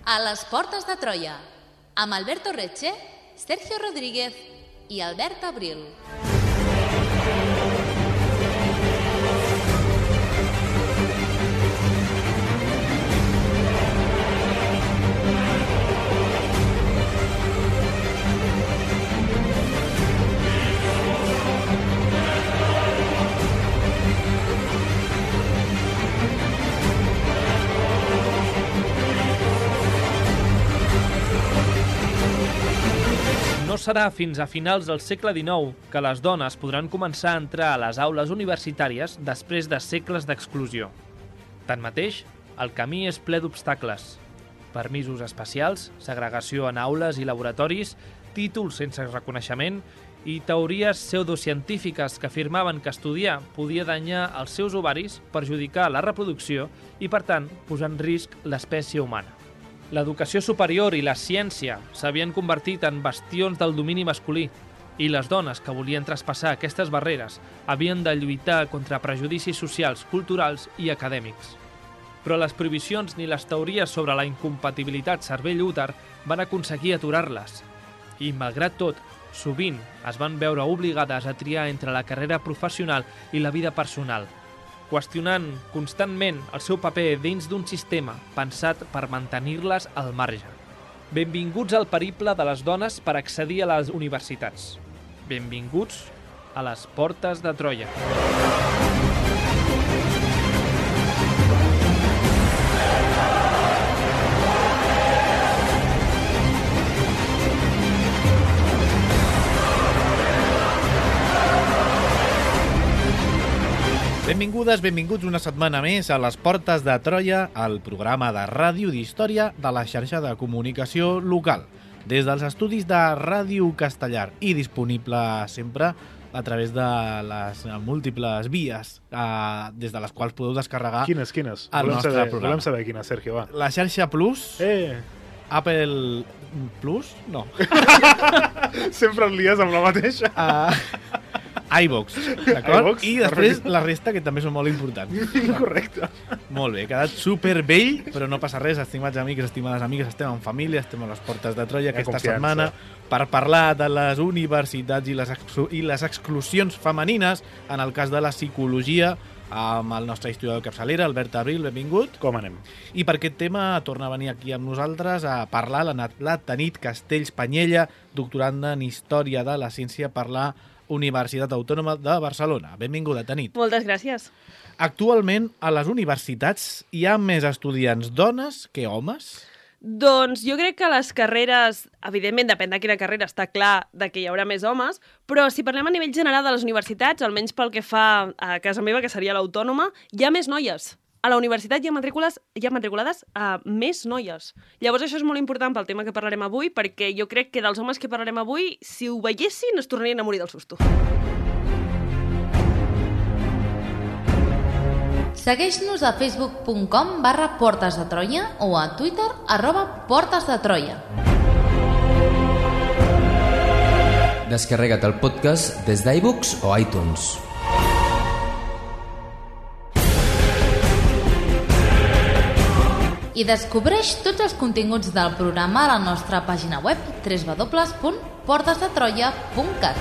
A les portes de Troia, amb Alberto Reche, Sergio Rodríguez i Albert Abril. No serà fins a finals del segle XIX que les dones podran començar a entrar a les aules universitàries després de segles d'exclusió. Tanmateix, el camí és ple d'obstacles. Permisos especials, segregació en aules i laboratoris, títols sense reconeixement i teories pseudocientífiques que afirmaven que estudiar podia danyar els seus ovaris, perjudicar la reproducció i, per tant, posar en risc l'espècie humana. L'educació superior i la ciència s'havien convertit en bastions del domini masculí i les dones que volien traspassar aquestes barreres havien de lluitar contra prejudicis socials, culturals i acadèmics. Però les prohibicions ni les teories sobre la incompatibilitat cervell-úter van aconseguir aturar-les. I, malgrat tot, sovint es van veure obligades a triar entre la carrera professional i la vida personal, qüestionant constantment el seu paper dins d'un sistema pensat per mantenir-les al marge. Benvinguts al periple de les dones per accedir a les universitats. Benvinguts a les portes de Troia. Benvingudes, benvinguts una setmana més a les Portes de Troia, el programa de ràdio d'història de la xarxa de comunicació local. Des dels estudis de Ràdio Castellar i disponible sempre a través de les múltiples vies des de les quals podeu descarregar Quines? el nostre programa. Volem saber quines, Sergio, va. La xarxa Plus, Apple Plus, no. Sempre et lies amb la mateixa. iVox, d'acord? iVox, I després la resta, que també són molt importants. Correcte. Molt bé, ha quedat supervell, però no passa res, estimats amics, estimades amigues, estem en família, estem a les portes de Troia aquesta setmana per parlar de les universitats i les exclusions femenines, en el cas de la psicologia, amb el nostre historiador de capçalera, Albert Abril, benvingut. Com anem? I per aquest tema torna a venir aquí amb nosaltres a parlar la Tanit Castells Panyella, doctoranda en Història de la Ciència per la Universitat Autònoma de Barcelona. Benvinguda, Tanit. Moltes gràcies. Actualment, a les universitats hi ha més estudiants dones que homes? Doncs jo crec que les carreres, evidentment depèn de quina carrera, està clar de que hi haurà més homes, però si parlem a nivell general de les universitats, almenys pel que fa a casa meva, que seria l'Autònoma, hi ha més noies. A la universitat hi ha matriculades més noies. Llavors això és molt important pel tema que parlarem avui, perquè jo crec que dels homes que parlarem avui, si ho veiessin, es tornarien a morir del susto. Segueix-nos a facebook.com/Portes de Troia o a Twitter @Portes de Troia. Descarrega't el podcast des d'iVoox o iTunes. I descobreix tots els continguts del programa a la nostra pàgina web www.portesdetroia.cat.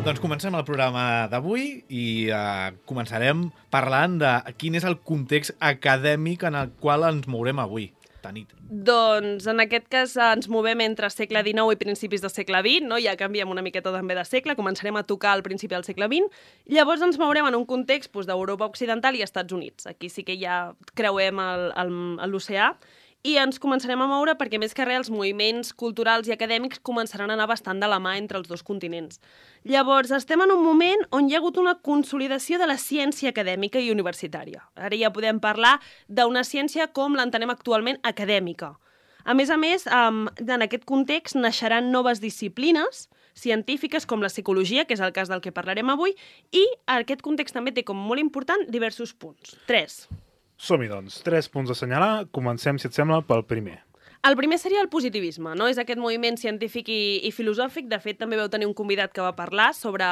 Doncs comencem el programa d'avui i començarem parlant de quin és el context acadèmic en el qual ens mourem avui. Tanit. Doncs en aquest cas ens movem entre segle XIX i principis del segle XX, no? Ja canviem una miqueta també de segle, començarem a tocar al principi del segle XX, llavors ens mourem en un context d'Europa Occidental i Estats Units. Aquí sí que ja creuem l'oceà, i ens començarem a moure perquè més que res els moviments culturals i acadèmics començaran a anar bastant de la mà entre els dos continents. Llavors, estem en un moment on hi ha hagut una consolidació de la ciència acadèmica i universitària. Ara ja podem parlar d'una ciència com l'entenem actualment acadèmica. A més, en aquest context naixeran noves disciplines científiques com la psicologia, que és el cas del que parlarem avui, i aquest context també té com molt important diversos punts. 3. Som-hi, doncs. 3 punts a assenyalar. Comencem, si et sembla, pel primer. El primer seria el positivisme, no? És aquest moviment científic i filosòfic. De fet, també vau tenir un convidat que va parlar sobre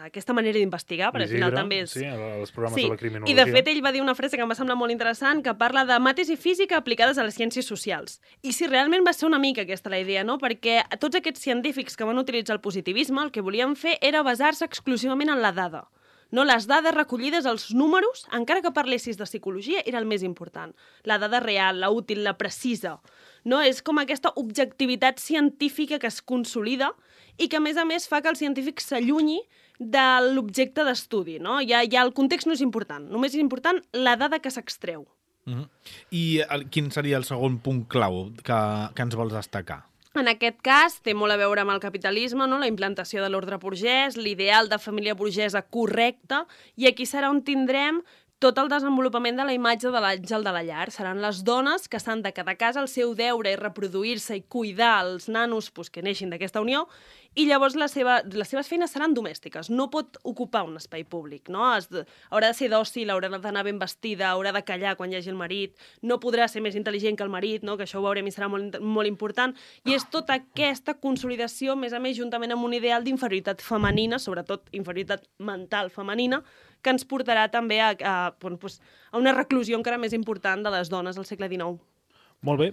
aquesta manera d'investigar, perquè al final també és... Sí, els programes de la criminologia. I de fet ell va dir una frase que em va semblar molt interessant, que parla de mates i física aplicades a les ciències socials. I si realment va ser una mica aquesta la idea, no? Perquè tots aquests científics que van utilitzar el positivisme el que volien fer era basar-se exclusivament en la dada. No, les dades recollides, els números, encara que parlessis de psicologia, era el més important. La dada real, la útil, la precisa. No? És com aquesta objectivitat científica que es consolida i que, a més, fa que el científic s'allunyi de l'objecte d'estudi. No? Ja el context no és important, només és important la dada que s'extreu. I quin seria el segon punt clau que ens vols destacar? En aquest cas, té molt a veure amb el capitalisme, no? La implantació de l'ordre burgès, l'ideal de família burgesa correcta, i aquí serà on tindrem tot el desenvolupament de la imatge de l'àngel de la llar. Seran les dones que s'han de quedar a casa, el seu deure és reproduir-se i cuidar els nanos que neixin d'aquesta unió, i llavors les seves feines seran domèstiques. No pot ocupar un espai públic, no? Haurà de ser dòcil, haurà d'anar ben vestida, haurà de callar quan hi hagi el marit, no podrà ser més intel·ligent que el marit, no? Que això ho veurem i serà molt important. I és tota aquesta consolidació, a més, juntament amb un ideal d'inferioritat femenina, sobretot inferioritat mental femenina, que ens portarà també a una reclusió encara més important de les dones al segle XIX. Molt bé,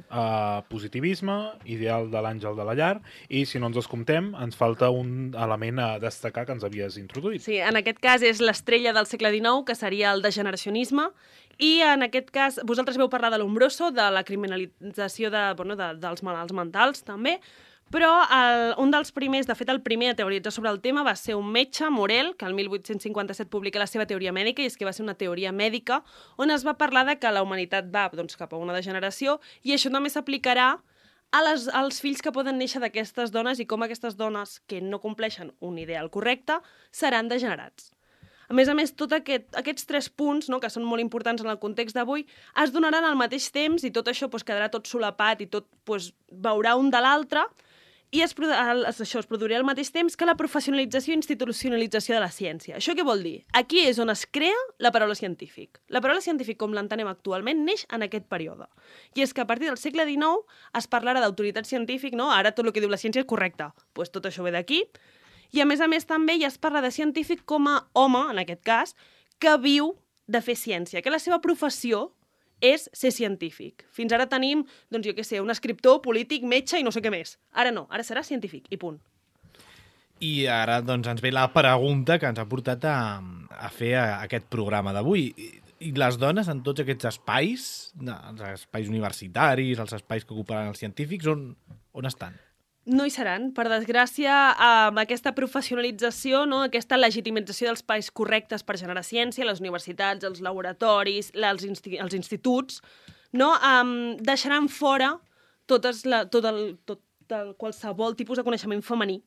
positivisme, ideal de l'àngel de la llar, i si no ens descomptem, ens falta un element a destacar que ens havies introduït. Sí, en aquest cas és l'estrella del segle XIX, que seria el degeneracionisme, i en aquest cas vosaltres veu parlar de l'Umbroso, de la criminalització dels malalts mentals, també, però un dels primers, de fet el primer a teoritzar sobre el tema va ser un metge, Morel, que el 1857 publica la seva teoria mèdica, i és que va ser una teoria mèdica on es va parlar de que la humanitat va cap a una degeneració, i això també s'aplicarà als fills que poden néixer d'aquestes dones i com aquestes dones que no compleixen un ideal correcte seran degenerats. A més, tots aquests 3 punts, no, que són molt importants en el context d'avui, es donaran al mateix temps i tot això quedarà tot solapat i tot veurà un de l'altre, i es produirà al mateix temps que la professionalització i institucionalització de la ciència. Això què vol dir? Aquí és on es crea la paraula científic. La paraula científic, com l'entenem actualment, neix en aquest període. I és que a partir del segle XIX es parlarà d'autoritat científic, no? Ara tot el que diu la ciència és correcte. Doncs tot això ve d'aquí. I a més també ja es parla de científic com a home, en aquest cas, que viu de fer ciència, que la seva professió és ser científic. Fins ara tenim, un escriptor, polític, metge i no sé què més. Ara no, ara serà científic, i punt. I ara ens ve la pregunta que ens ha portat a fer aquest programa d'avui. I les dones en tots aquests espais, els espais universitaris, els espais que ocuparan els científics, on estan? No hi seran. Per desgràcia, amb aquesta professionalització, no, aquesta legitimització dels espais correctes per generar ciència, les universitats, els laboratoris, els instituts, no, deixaran fora qualsevol tipus de coneixement femení.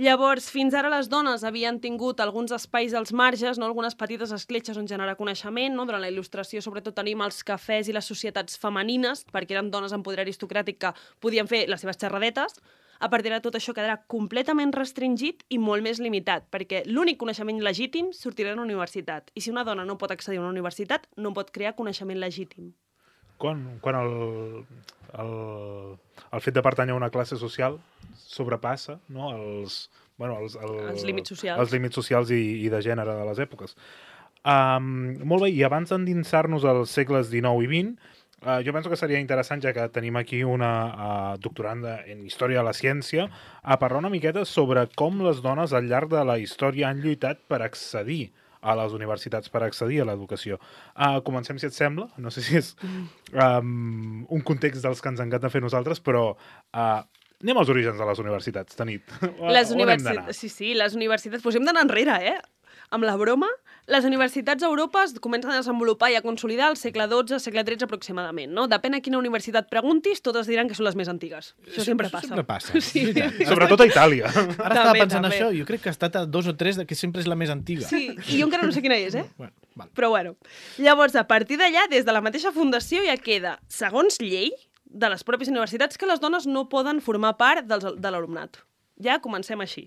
Llavors, fins ara les dones havien tingut alguns espais als marges, no? Algunes petites escletxes on generar coneixement. No? Durant la il·lustració, sobretot, tenim els cafès i les societats femenines, perquè eren dones amb poder aristocràtic que podien fer les seves xerradetes. A partir de tot això quedarà completament restringit i molt més limitat, perquè l'únic coneixement legítim sortirà de la universitat. I si una dona no pot accedir a una universitat, no pot crear coneixement legítim. Quan el fet de pertànyer a una classe social sobrepassa, no, els límits socials. Els límits socials i de gènere de les èpoques. Molt bé, i abans d'endinsar-nos als segles XIX i XX, jo penso que seria interessant, ja que tenim aquí una doctoranda en Història de la Ciència, a parlar una miqueta sobre com les dones al llarg de la història han lluitat per accedir a les universitats, per accedir a l'educació. Comencem, si et sembla. No sé si és un context dels que ens encanta fer nosaltres, però anem als orígens de les universitats, Tanit. Les universitats, sí, les universitats. Doncs hem d'anar enrere, amb la broma. Les universitats a Europa es comencen a desenvolupar i a consolidar al segle XII, segle XIII aproximadament, no? Depèn a quina universitat preguntis, totes diran que són les més antigues. Això sempre passa. Sempre passa. Sí. Sobretot a Itàlia. Ara estava pensant això, jo crec que ha estat a 2 o 3 que sempre és la més antiga. Sí, i jo encara no sé quina és, Bueno, val. Però bueno. Llavors, a partir d'allà, des de la mateixa fundació ja queda, segons llei de les pròpies universitats, que les dones no poden formar part de l'alumnat. Ja comencem així.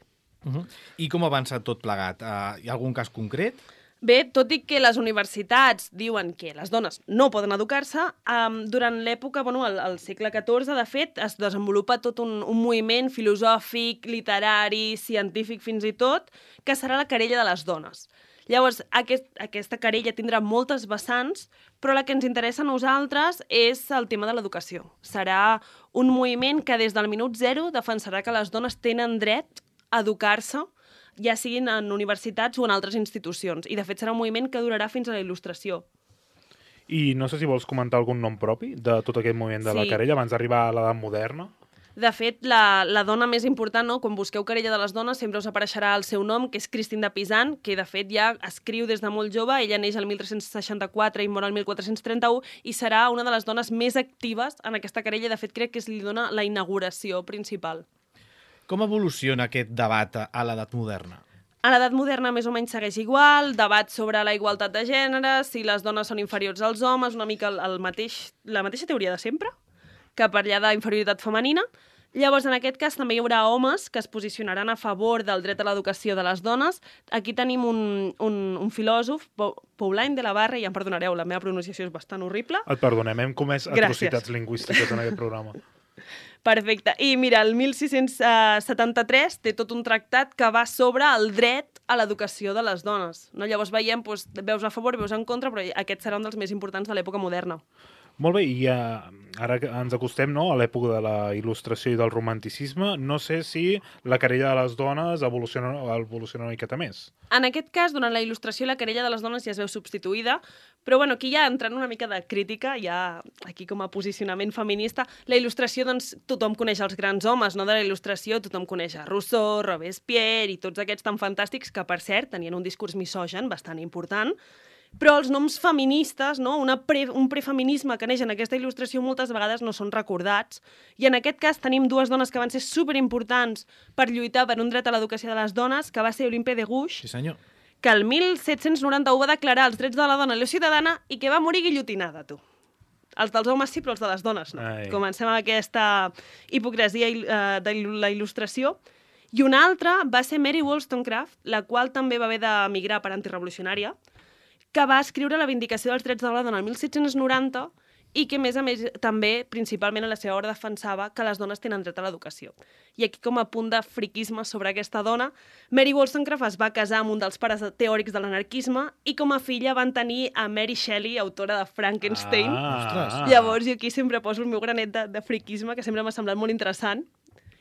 I com avança tot plegat? Hi ha algun cas concret? Bé, tot i que les universitats diuen que les dones no poden educar-se, durant l'època, al segle XIV, de fet, es desenvolupa tot un moviment filosòfic, literari, científic fins i tot, que serà la querella de les dones. Llavors, aquesta querella tindrà moltes vessants, però la que ens interessa a nosaltres és el tema de l'educació. Serà un moviment que des del minut zero defensarà que les dones tenen dret a educar-se, ja siguin en universitats o en altres institucions. I, de fet, serà un moviment que durarà fins a la Il·lustració. I no sé si vols comentar algun nom propi de tot aquest moviment de la querella abans d'arribar a l'edat moderna. De fet, la dona més important, no? Quan busqueu querella de les dones, sempre us apareixerà el seu nom, que és Christine de Pisan, que, de fet, ja escriu des de molt jove. Ella neix el 1364 i mor el 1431 i serà una de les dones més actives en aquesta querella. De fet, crec que li dona la inauguració principal. Com evoluciona aquest debat a l'edat moderna? A l'edat moderna més o menys segueix igual, debat sobre la igualtat de gènere, si les dones són inferiors als homes, una mica la mateixa teoria de sempre, que parla d'inferioritat femenina. Llavors, en aquest cas, també hi haurà homes que es posicionaran a favor del dret a l'educació de les dones. Aquí tenim un filòsof, Paulin de la Barre, i em perdonareu, la meva pronunciació és bastant horrible. Et perdonem, hem comès atrocitats lingüístiques en aquest programa. Perfecte. I mira, el 1673 té tot un tractat que va sobre el dret a l'educació de les dones. No? Llavors veiem, veus a favor, veus en contra, però aquest serà un dels més importants de l'època moderna. Molt bé, i ara que ens acostem a l'època de la il·lustració i del romanticisme, no sé si la querella de les dones evoluciona una miqueta més. En aquest cas, durant la il·lustració, la querella de les dones ja es veu substituïda, però aquí ja entrant una mica de crítica, ja aquí com a posicionament feminista, la il·lustració, doncs, tothom coneix els grans homes, no? De la il·lustració tothom coneix a Rousseau, Robespierre i tots aquests tan fantàstics que, per cert, tenien un discurs misogen bastant important. Però els noms feministes, no? Un prefeminisme que neix en aquesta il·lustració moltes vegades no són recordats. I en aquest cas tenim dues dones que van ser superimportants per lluitar per un dret a l'educació de les dones, que va ser Olympe de Gouges, Sí, senyor. que el 1791 va declarar els drets de la dona i la ciutadana i que va morir guillotinada, tu. Els dels homes sí, però els de les dones no. Ai. Comencem amb aquesta hipocresia de la il·lustració. I una altra va ser Mary Wollstonecraft, la qual també va haver d'emigrar per antirevolucionària, que va escriure la Vindicació dels drets de la dona el 1790 i que, a més, també, principalment a la seva obra, defensava que les dones tenen dret a l'educació. I aquí, com a punt de friquisme sobre aquesta dona, Mary Wollstonecraft es va casar amb un dels pares teòrics de l'anarquisme i com a filla van tenir a Mary Shelley, autora de Frankenstein. Llavors, jo aquí sempre poso el meu granet de friquisme, que sempre m'ha semblat molt interessant.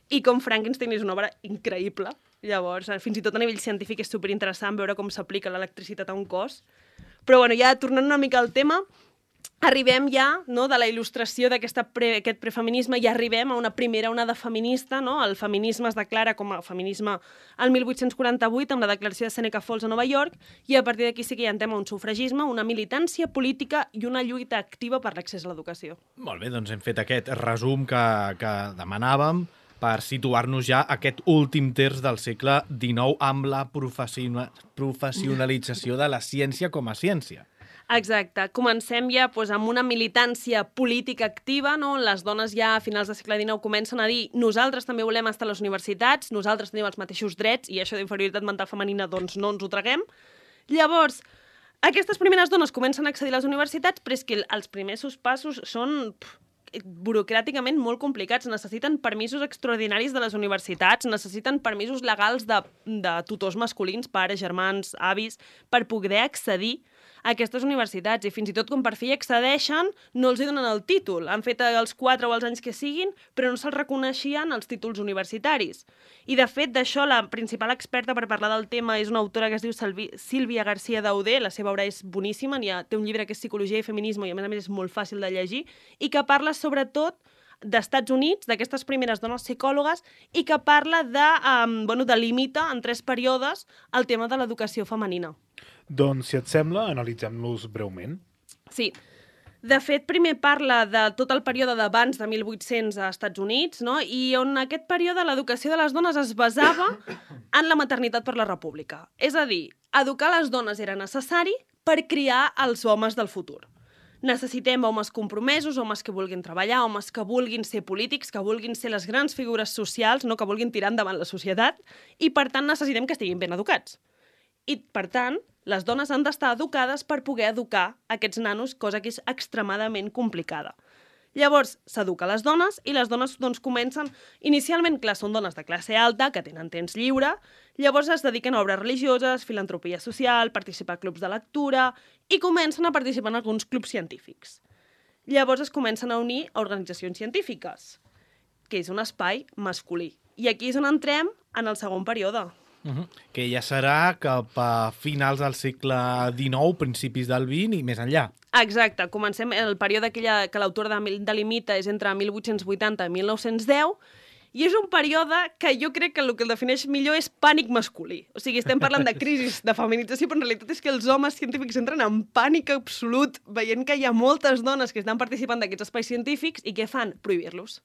I com Frankenstein és una obra increïble. Llavors, fins i tot a nivell científic és superinteressant veure com s'aplica l'electricitat a un cos. Però ja tornant una mica al tema, arribem ja, no, de la il·lustració d'aquest prefeminisme i arribem a una primera onada feminista. No? El feminisme es declara com a feminisme el 1848 amb la declaració de Seneca Falls a Nova York i a partir d'aquí sí que hi ha un tema, un sufragisme, una militància política i una lluita activa per l'accés a l'educació. Molt bé, doncs hem fet aquest resum que demanàvem per situar-nos ja aquest últim terç del segle XIX amb la professionalització de la ciència com a ciència. Exacte. Comencem ja amb una militància política activa, no? Les dones ja a finals del segle XIX comencen a dir nosaltres també volem estar a les universitats, nosaltres tenim els mateixos drets i això d'inferioritat mental femenina doncs no ens ho traguem. Llavors, aquestes primeres dones comencen a accedir a les universitats, però és que els primers passos són burocràticament molt complicats. Necessiten permisos extraordinaris de les universitats, necessiten permisos legals de tutors masculins, pares, germans, avis, per poder accedir a aquestes universitats. I fins i tot quan per fi accedeixen, no els donen el títol. Han fet els 4 o els anys que siguin, però no se'ls reconeixien els títols universitaris. I de fet, d'això, la principal experta per parlar del tema és una autora que es diu Sílvia García Dauder. La seva obra és boníssima, té un llibre que és Psicologia i Feminisme i a més és molt fàcil de llegir, i que parla sobretot d'Estats Units, d'aquestes primeres dones psicòlogues, i que parla delimita en 3 períodes el tema de l'educació femenina. Doncs, si et sembla, analitzem-los breument. Sí. De fet, primer parla de tot el període d'abans de 1800 als Estats Units, no? I on aquest període l'educació de les dones es basava en la maternitat per la república. És a dir, educar les dones era necessari per criar els homes del futur. Necessitem homes compromesos, homes que vulguin treballar, homes que vulguin ser polítics, que vulguin ser les grans figures socials, no? Que vulguin tirar endavant la societat, i per tant necessitem que estiguin ben educats. I per tant, Les dones han d'estar educades per poder educar aquests nanos, cosa que és extremadament complicada. Llavors, s'educa les dones i les dones doncs, comencen... Inicialment, clar, són dones de classe alta, que tenen temps lliure, llavors es dediquen a obres religioses, filantropia social, participar a clubs de lectura i comencen a participar en alguns clubs científics. Llavors es comencen a unir a organitzacions científiques, que és un espai masculí. I aquí és on entrem en el segon període. Que ja serà cap a finals del segle XIX, principis del XX i més enllà. Exacte, comencem el període que l'autor delimita és entre 1880 i 1910, i és un període que jo crec que el que el defineix millor és pànic masculí. O sigui, estem parlant de crisis, de feminització, però en realitat és que els homes científics entren en pànic absolut, veient que hi ha moltes dones que estan participant d'aquests espais científics i què fan? Prohibir-los.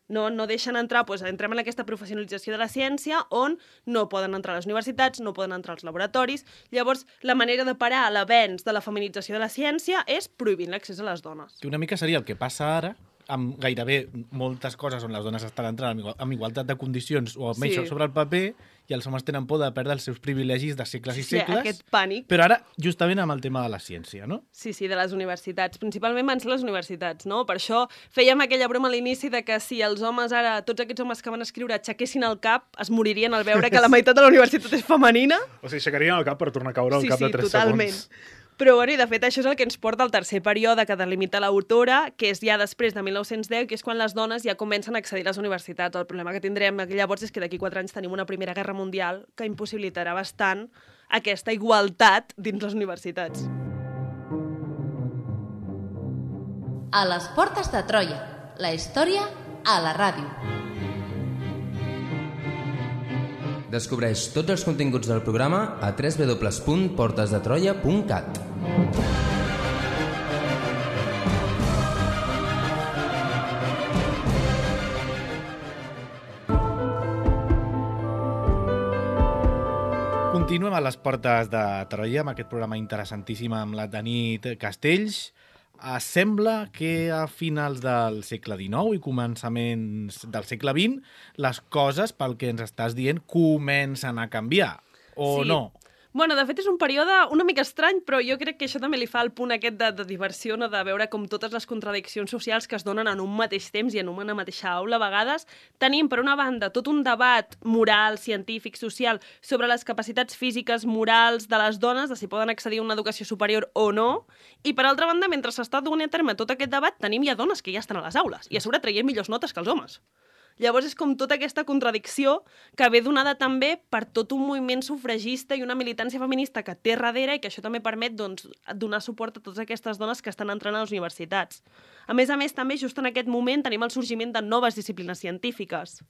No deixen entrar, doncs entrem en aquesta professionalització de la ciència on no poden entrar a les universitats, no poden entrar als laboratoris. Llavors, la manera de parar l'avenç de la feminització de la ciència és prohibint l'accés a les dones. Que una mica seria el que passa ara, amb gairebé moltes coses on les dones estan entrant amb igualtat de condicions o almenys sobre el paper, i els homes tenen por de perdre els seus privilegis de segles i segles. Aquest pànic. Però ara, justament amb el tema de la ciència, no? Sí, de les universitats. Principalment van ser les universitats, no? Per això fèiem aquella broma a l'inici de que si els homes ara, tots aquests homes que van escriure, aixequessin el cap, es moririen al veure que la meitat de la universitat és femenina. O sigui, aixecarien el cap per tornar a caure al cap de 3 totalment. segons. Però, bueno, i de fet, això és el que ens porta al tercer període que delimita l'autora, que és ja després de 1910, que és quan les dones ja comencen a accedir a les universitats. El problema que tindrem llavors és que d'aquí 4 anys tenim una Primera Guerra Mundial que impossibilitarà bastant aquesta igualtat dins les universitats. A les portes de Troia, la història a la ràdio. Descobreix tots els continguts del programa a www.portesdetroia.cat. Continuem a les portes de Troia amb aquest programa interessantíssim amb la Tanit Castells. Sembla que a finals del segle XIX i començaments del segle XX les coses, pel que ens estàs dient, comencen a canviar, o no? Bueno, de fet és un període una mica estrany, però jo crec que això també li fa el punt aquest de diversió, no? De veure com totes les contradiccions socials que es donen en un mateix temps i en una mateixa aula, a vegades tenim, per una banda, tot un debat moral, científic, social, sobre les capacitats físiques, morals de les dones, de si poden accedir a una educació superior o no, i per altra banda, mentre s'està donant a terme tot aquest debat, tenim ja dones que ja estan a les aules, i a sobre traient millors notes que els homes. Llavors és com tota aquesta contradicció que ve donada també per tot un moviment sufragista i una militància feminista que té darrere i que això també permet donar suport a totes aquestes dones que estan entrant a les universitats. A més, també, just en aquest moment tenim el sorgiment de noves disciplines científiques.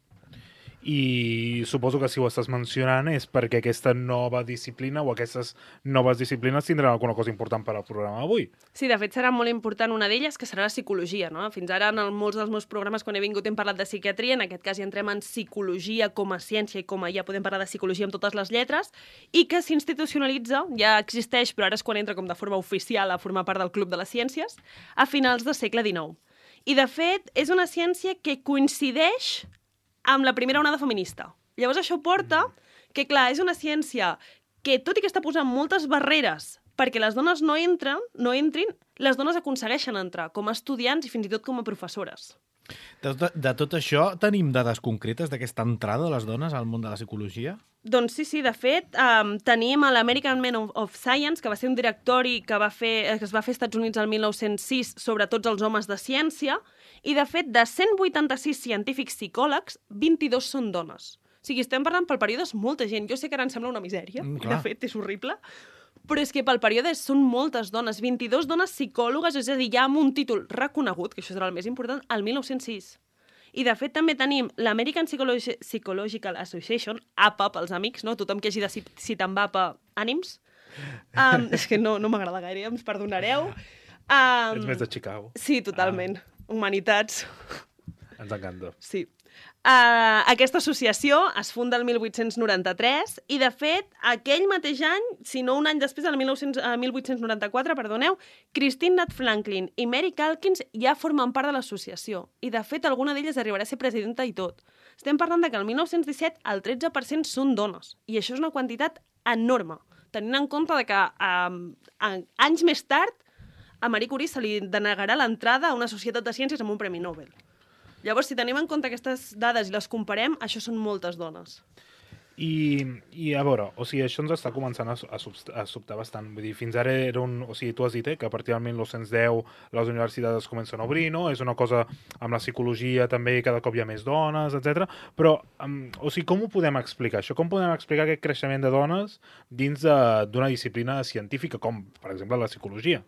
I suposo que si ho estàs mencionant és perquè aquesta nova disciplina o aquestes noves disciplines tindran alguna cosa important per al programa d'avui. Sí, de fet serà molt important una d'elles, que serà la psicologia, no? Fins ara en molts dels meus programes quan he vingut hem parlat de psiquiatria, en aquest cas ja entrem en psicologia com a ciència i com a ja podem parlar de psicologia amb totes les lletres, i que s'institucionalitza, ja existeix, però ara és quan entra com de forma oficial a formar part del Club de les Ciències, a finals del segle XIX. I de fet és una ciència que coincideix amb la primera onada feminista. Llavors això porta que, clar, és una ciència que, tot i que està posant moltes barreres perquè les dones no entrin, les dones aconsegueixen entrar com a estudiants i fins i tot com a professores. De tot això, tenim dades concretes d'aquesta entrada de les dones al món de la psicologia? Doncs sí, de fet, tenim l'American Men of Science, que va ser un directori que es va fer als Estats Units el 1906 sobre tots els homes de ciència, i de fet, de 186 científics psicòlegs, 22 són dones. O sigui, estem parlant pel període és molta gent. Jo sé que ara em sembla una misèria, de fet, és horrible, però és que pel període són moltes dones, 22 dones psicòlogues, és a dir, ja amb un títol reconegut, que això serà el més important, el 1906. I, de fet, també tenim l'American Psychological Association, APA, pels amics, no? Tothom que hagi de citar amb APA, ànims. És que no m'agrada gaire, ens perdonareu. Ets més de Chicago. Sí, totalment. Humanitats. Ens encanta. Sí. Aquesta associació es funda el 1893 i, de fet, aquell mateix any, si no un any després, el 1894, Christine Nat Franklin i Mary Calkins ja formen part de l'associació. I, de fet, alguna d'elles arribarà a ser presidenta i tot. Estem parlant que el 1917 el 13% són dones. I això és una quantitat enorme. tenint en compte de que anys més tard a Marie Curie se li denegarà l'entrada a una societat de ciències amb un Premi Nobel. Llavors, si tenim en compte aquestes dades i les comparem, això són moltes dones. I a veure, o sigui, això ens està començant a sobtar bastant. Vull dir, fins ara era o sigui, tu has dit que a partir del 1910 les universitats es comencen a obrir, no? És una cosa amb la psicologia també, cada cop hi ha més dones, etc. Però, o sigui, com ho podem explicar, això? Com podem explicar aquest creixement de dones dins d'una disciplina científica, com, per exemple, la psicologia?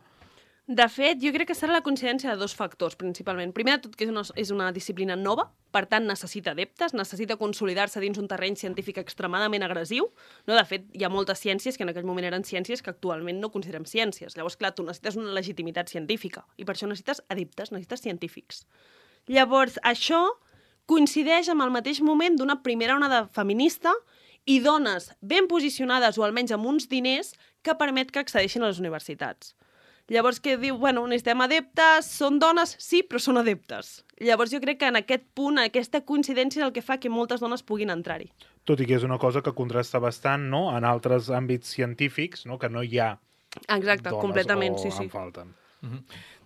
De fet, jo crec que serà la coincidència de dos factors, principalment. Primer de tot, que és una disciplina nova, per tant, necessita adeptes, necessita consolidar-se dins un terreny científic extremadament agressiu. No? De fet, hi ha moltes ciències que en aquell moment eren ciències que actualment no considerem ciències. Llavors, clar, tu necessites una legitimitat científica i per això necessites adeptes, necessites científics. Llavors, això coincideix amb el mateix moment d'una primera onada feminista i dones ben posicionades o almenys amb uns diners que permet que accedeixin a les universitats. Llavors, què diu? Bueno, necessitem adeptes, són dones? Sí, però són adeptes. Llavors, jo crec que en aquest punt, aquesta coincidència és el que fa que moltes dones puguin entrar-hi. Tot i que és una cosa que contrasta bastant, no?, en altres àmbits científics, no?, que no hi ha Exacte, dones completament, o sí. en falten.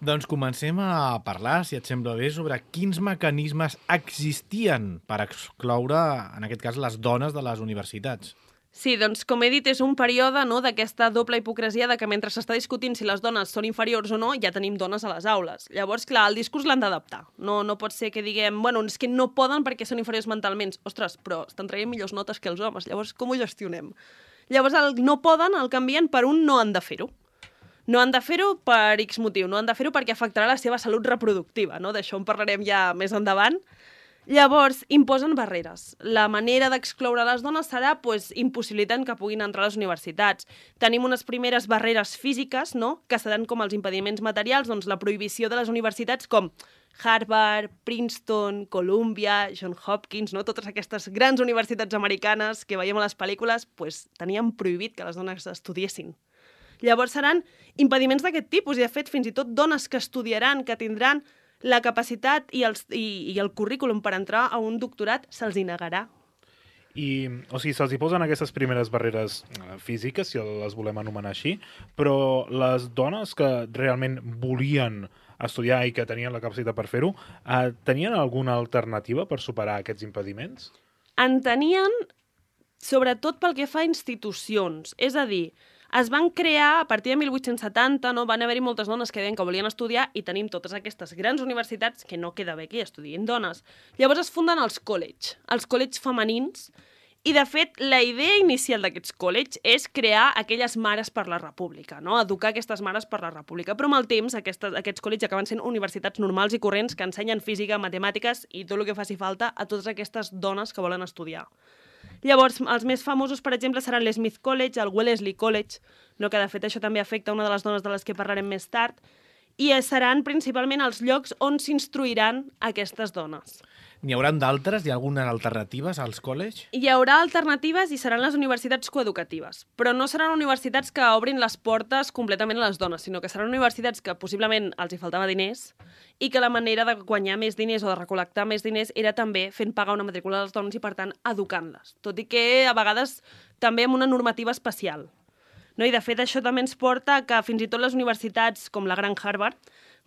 Doncs comencem a parlar, si et sembla bé, sobre quins mecanismes existien per excloure, en aquest cas, les dones de les universitats. Sí, doncs, com he dit, és un període d'aquesta doble hipocresia de que mentre s'està discutint si les dones són inferiors o no, ja tenim dones a les aules. Llavors, clar, el discurs l'han d'adaptar. No pot ser que diguem, bueno, és que no poden perquè són inferiors mentalment. Ostres, però estan traient millors notes que els homes. Llavors, com ho gestionem? Llavors, el no poden el canvien per un no han de fer-ho. No han de fer-ho per X motiu. No han de fer-ho perquè afectarà la seva salut reproductiva. No? D'això en parlarem ja més endavant. Llavors, imposen barreres. La manera d'excloure les dones serà impossibilitant que puguin entrar a les universitats. Tenim unes primeres barreres físiques, no?, que seran com els impediments materials, doncs la prohibició de les universitats com Harvard, Princeton, Columbia, Johns Hopkins, no? Totes aquestes grans universitats americanes que veiem a les pel·lícules, tenien prohibit que les dones estudiessin. Llavors seran impediments d'aquest tipus i, de fet, fins i tot dones que estudiaran, que tindran la capacitat i el currículum per entrar a un doctorat se'ls hi negarà. O sigui, se'ls hi posen aquestes primeres barreres físiques, si les volem anomenar així, però les dones que realment volien estudiar i que tenien la capacitat per fer-ho, tenien alguna alternativa per superar aquests impediments? En tenien, sobretot pel que fa a institucions. És a dir, es van crear, a partir de 1870, no? Van haver-hi moltes dones que deien que volien estudiar i tenim totes aquestes grans universitats que no queda bé que hi estudiïn dones. Llavors es funden els college femenins, i de fet la idea inicial d'aquests college és crear aquelles mares per la república, no? Educar aquestes mares per la república, però amb el temps aquests college acaben sent universitats normals i corrents que ensenyen física, matemàtiques i tot el que faci falta a totes aquestes dones que volen estudiar. Llavors, els més famosos, per exemple, seran l'Smith College, el Wellesley College, no? Que de fet això també afecta una de les dones de les que parlarem més tard, i seran principalment els llocs on s'instruiran aquestes dones. N'hi haurà d'altres? Hi ha algunes alternatives als college? Hi haurà alternatives i seran les universitats coeducatives, però no seran universitats que obrin les portes completament a les dones, sinó que seran universitats que possiblement els hi faltava diners i que la manera de guanyar més diners o de recol·lectar més diners era també fent pagar una matrícula a les dones i, per tant, educant-les. Tot i que a vegades també amb una normativa especial. No? I de fet això també ens porta que fins i tot les universitats com la Gran Harvard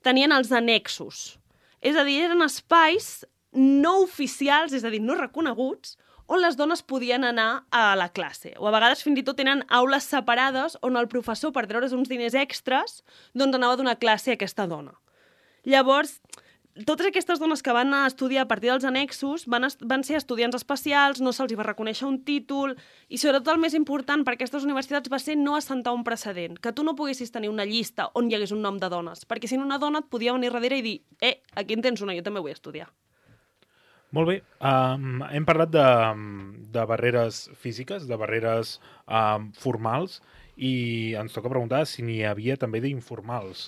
tenien els annexos. És a dir, eren espais no oficials, és a dir, no reconeguts, on les dones podien anar a la classe. O a vegades fins i tot tenen aules separades on el professor, per treure's uns diners extras, doncs anava a donar classe a aquesta dona. Llavors, totes aquestes dones que van estudiar a partir dels annexos van ser estudiants especials, no se'ls va reconèixer un títol, i sobretot el més important per aquestes universitats va ser no assentar un precedent, que tu no poguessis tenir una llista on hi hagués un nom de dones, perquè si no una dona et podia venir darrere i dir aquí en tens una, jo també vull estudiar. Molt bé. Hem parlat de barreres físiques, de barreres formals, i ens toca preguntar si n'hi havia també d'informals.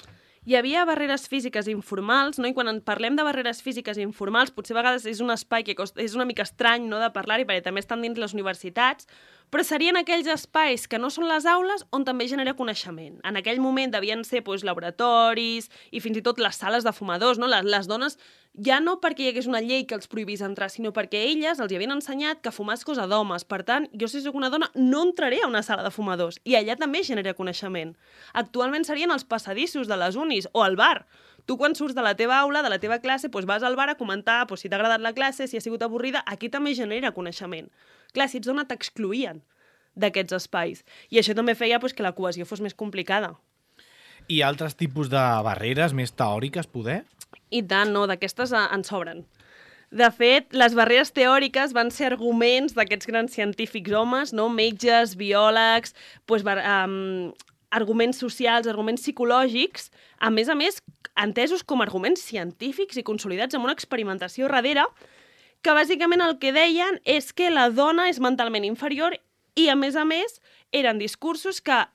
Hi havia barreres físiques informals, no? I quan en parlem de barreres físiques informals, potser a vegades és un espai que és una mica estrany, no?, de parlar-hi, perquè també estan dins les universitats, però serien aquells espais que no són les aules on també genera coneixement. En aquell moment devien ser laboratoris i fins i tot les sales de fumadors, no? Les dones ja no perquè hi hagués una llei que els prohibís entrar, sinó perquè elles els hi havien ensenyat que fumar és cosa d'homes. Per tant, jo si soc una dona no entraré a una sala de fumadors. I allà també genera coneixement. Actualment serien els passadissos de les unis o al bar. Tu quan surts de la teva aula, de la teva classe, vas al bar a comentar si t'ha agradat la classe, si ha sigut avorrida, aquí també genera coneixement. Clar, si ets dona t'excloïen d'aquests espais. I això també feia que la cohesió fos més complicada. I altres tipus de barreres més teòriques, poder? I tant, no, d'aquestes en sobren. De fet, les barreres teòriques van ser arguments d'aquests grans científics homes, no? Metges, biòlegs, arguments socials, arguments psicològics, a més, entesos com arguments científics i consolidats amb una experimentació darrere, que bàsicament el que deien és que la dona és mentalment inferior i, a més, eren discursos que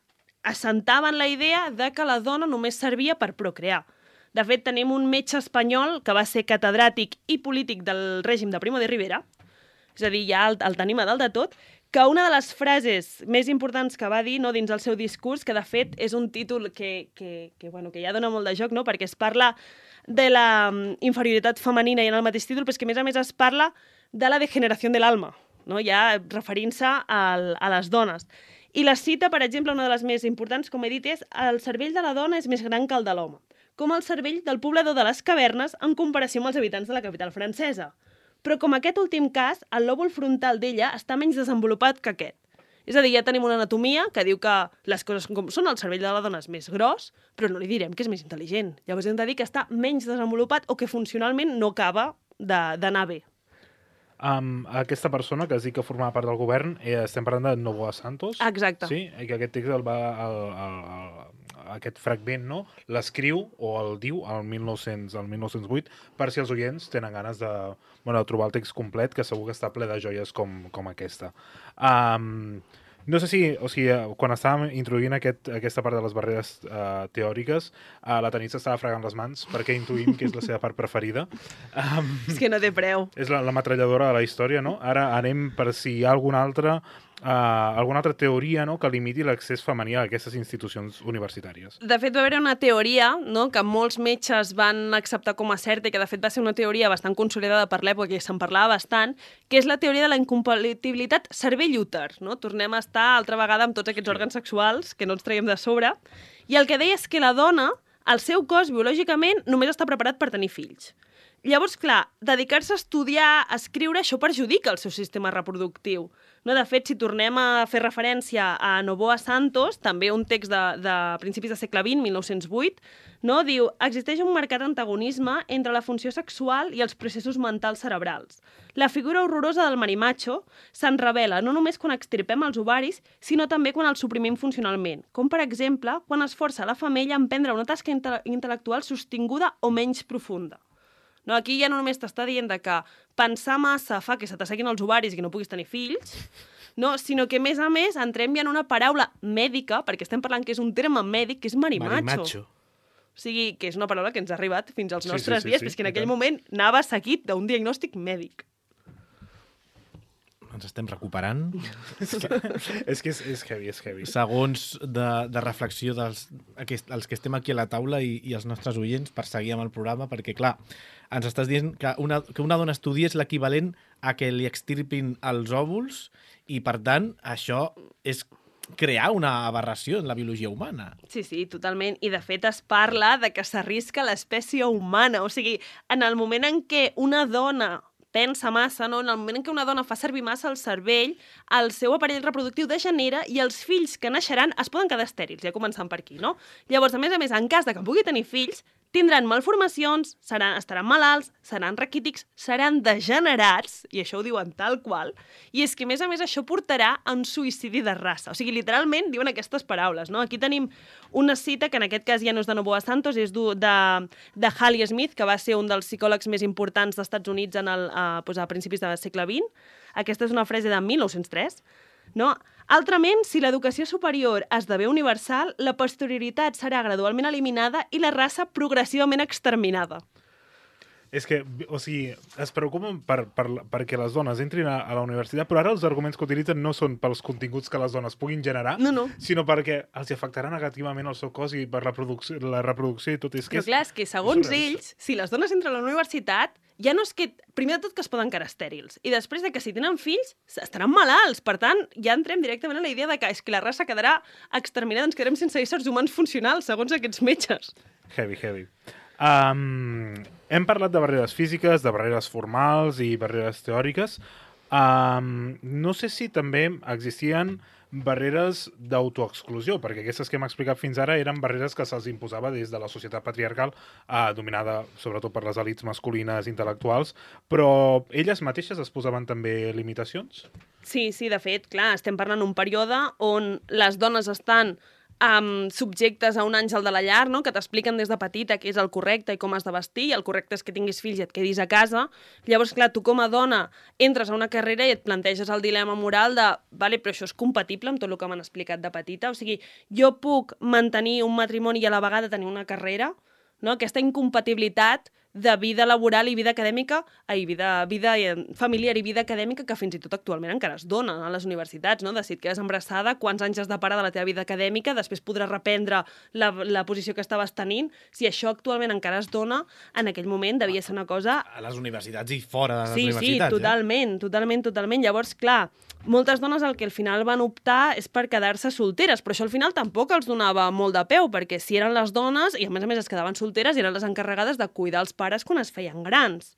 assentaven la idea de que la dona només servia per procrear. De fet, tenim un metge espanyol que va ser catedràtic i polític del règim de Primo de Rivera, és a dir, ja el tenim a dalt de tot, que una de les frases més importants que va dir dins el seu discurs, que de fet és un títol que ja dona molt de joc, no? Perquè es parla de la inferioritat femenina i en el mateix títol, però és que a més es parla de la degeneració de l'alma, no? Ja referint-se a les dones. I la cita, per exemple, una de les més importants, com he dit, és el cervell de la dona és més gran que el de l'home, com el cervell del poblador de les cavernes en comparació amb els habitants de la capital francesa. Però com aquest últim cas, el lòbul frontal d'ella està menys desenvolupat que aquest. És a dir, ja tenim una anatomia que diu que les coses com són, el cervell de la dona és més gros, però no li direm que és més intel·ligent. Llavors hem de dir que està menys desenvolupat o que funcionalment no acaba d'anar bé. Aquesta persona que es diu que formava part del govern, estem parlant de Novoa Santos. Exacte. Sí, i que aquest text aquest fragment, no? L'escriu o el diu al 1908, per si els oients tenen ganes de trobar el text complet, que segur que està ple de joies com aquesta. No sé si quan estàvem introduint aquesta part de les barreres teòriques, la Tanit s'estava fregant les mans perquè intuïm que és la seva part preferida. És que no té preu. És la metralladora de la història, no? Ara anem per si hi ha alguna altra teoria, no?, que limiti l'accés femení a aquestes institucions universitàries. De fet, va haver una teoria, no?, que molts metges van acceptar com a certa i que de fet va ser una teoria bastant consolidada per l'època, que se'n parlava bastant, que és la teoria de la incompatibilitat cervell-úter, no? Tornem a estar altra vegada amb tots aquests òrgans sexuals que no ens traiem de sobre, i el que deia és que la dona, el seu cos biològicament, només està preparat per tenir fills. Llavors, clar, dedicar-se a estudiar, a escriure, això perjudica el seu sistema reproductiu. No, de fet, si tornem a fer referència a Novoa Santos, també un text de principis del segle XX, 1908, no, diu: existeix un marcat antagonisme entre la funció sexual i els processos mentals cerebrals. La figura horrorosa del marimacho se'n revela no només quan extirpem els ovaris, sinó també quan els suprimim funcionalment, com per exemple quan es força la femella a emprendre una tasca intel·lectual sostinguda o menys profunda. No, aquí ja no només t'està dient que pensar massa fa que se t'asseguin els ovaris i que no puguis tenir fills, no, sinó que, a més, entrem ja en una paraula mèdica, perquè estem parlant que és un terme mèdic, que és marimacho. O sigui, que és una paraula que ens ha arribat fins als nostres dies, però és que en aquell moment anava seguit d'un diagnòstic mèdic. Ens estem recuperant. És que és heavy. Segons de reflexió dels que estem aquí a la taula i els nostres oients per seguir amb el programa, perquè, clar, ens estàs dient que una dona estudi és l'equivalent a que li extirpin els òvuls i, per tant, això és crear una aberració en la biologia humana. Sí, totalment. I, de fet, es parla de que s'arrisca l'espècie humana. O sigui, en el moment en què una dona pensa massa, no? En el moment en què una dona fa servir massa el cervell, el seu aparell reproductiu degenera i els fills que naixeran es poden quedar estèrils, ja començant per aquí, no? Llavors, a més, en cas de que pugui tenir fills, tindran malformacions, estaran malalts, seran raquítics, seran degenerats, i això ho diuen tal qual, i és que, a més, això portarà a un suïcidi de raça. O sigui, literalment diuen aquestes paraules, no? Aquí tenim una cita que en aquest cas ja no és de Novoa Santos, és de Halley Smith, que va ser un dels psicòlegs més importants dels Estats Units a principis del segle XX. Aquesta és una frase de 1903. No? Altrament, si l'educació superior esdevé universal, la posterioritat serà gradualment eliminada i la raça progressivament exterminada. És que, o sigui, es preocupen perquè les dones entrin a la universitat, però ara els arguments que utilitzen no són pels continguts que les dones puguin generar, No. sinó perquè els afectarà negativament el seu cos i per la reproducció i tot. És que Però clar, és que segons surrealista. ells, si les dones entren a la universitat, ja no és que... Primer de tot que es poden quedar estèrils. I després de que si tenen fills, estaran malalts. Per tant, ja entrem directament a la idea de que és que la raça quedarà exterminada, ens quedarem sense éssers humans funcionals, segons aquests metges. Heavy. Hem parlat de barreres físiques, de barreres formals i barreres teòriques. No sé si també existien barreres d'autoexclusió, perquè aquestes que hem explicat fins ara eren barreres que se'ls imposava des de la societat patriarcal, dominada sobretot per les elits masculines intel·lectuals, però elles mateixes es posaven també limitacions? Sí, de fet, clar, estem parlant d'un període on les dones estan subjectes a un àngel de la llar, no? Que t'expliquen des de petita què és el correcte i com has de vestir, i el correcte és que tinguis fills i et quedis a casa. Llavors, clar, tu com a dona entres a una carrera i et planteges el dilema moral de vale, però això és compatible amb tot el que m'han explicat de petita? O sigui, jo puc mantenir un matrimoni i a la vegada tenir una carrera? No? Aquesta incompatibilitat de vida laboral i vida acadèmica, vida familiar i vida acadèmica que fins i tot actualment encara es dona a les universitats, no? De si et quedes embarassada, quants anys has de parar de la teva vida acadèmica, després podràs reprendre la posició que estaves tenint. Si això actualment encara es dona, en aquell moment devia ser una cosa... A les universitats i fora de les Sí, universitats. totalment. Llavors, clar, moltes dones el que al final van optar és per quedar-se solteres, però això al final tampoc els donava molt de peu, perquè si eren les dones, i a més es quedaven solteres, eren les encarregades de cuidar els pares quan es feien grans.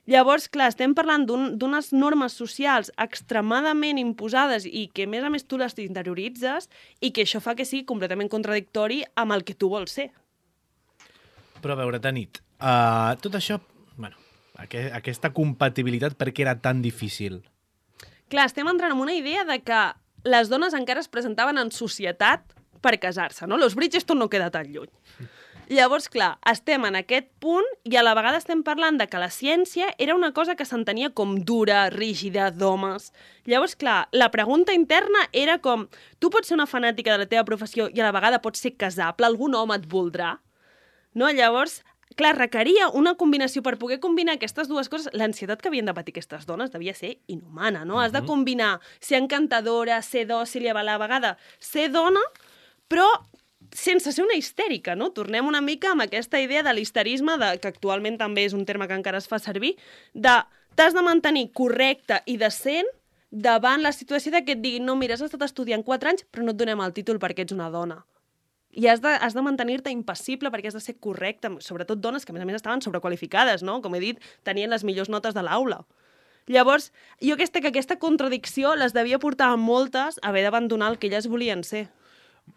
Llavors, clar, estem parlant d'unes normes socials extremadament imposades i que, a més tu les interioritzes i que això fa que sigui completament contradictori amb el que tu vols ser. Però a veure, Tanit, tot això, bueno, aquesta compatibilitat, per què era tan difícil? Clar, estem entrant en una idea de que les dones encara es presentaven en societat per casar-se, no? Los Bridgerton no queda tan lluny. Llavors, clar, estem en aquest punt i a la vegada estem parlant de que la ciència era una cosa que s'entenia com dura, rígida, d'homes. Llavors, clar, la pregunta interna era com, tu pots ser una fanàtica de la teva professió i a la vegada pots ser casable, algun home et voldrà? No? Llavors, clar, requeria una combinació per poder combinar aquestes dues coses. L'ansietat que havien de patir aquestes dones devia ser inhumana, no? Has de combinar ser encantadora, ser dòcil i a la vegada ser dona, però sense ser una histèrica, no? Tornem una mica amb aquesta idea de l'histerisme, que actualment també és un terme que encara es fa servir, de t'has de mantenir correcte i decent davant la situació de que et diguin no, mira, has estat estudiant 4 anys, però no et donem el títol perquè ets una dona. I has de mantenir-te impassible perquè has de ser correcte, sobretot dones que a més estaven sobrequalificades, no? Com he dit, tenien les millors notes de l'aula. Llavors, jo aquesta contradicció les devia portar a moltes a haver d'abandonar el que elles volien ser.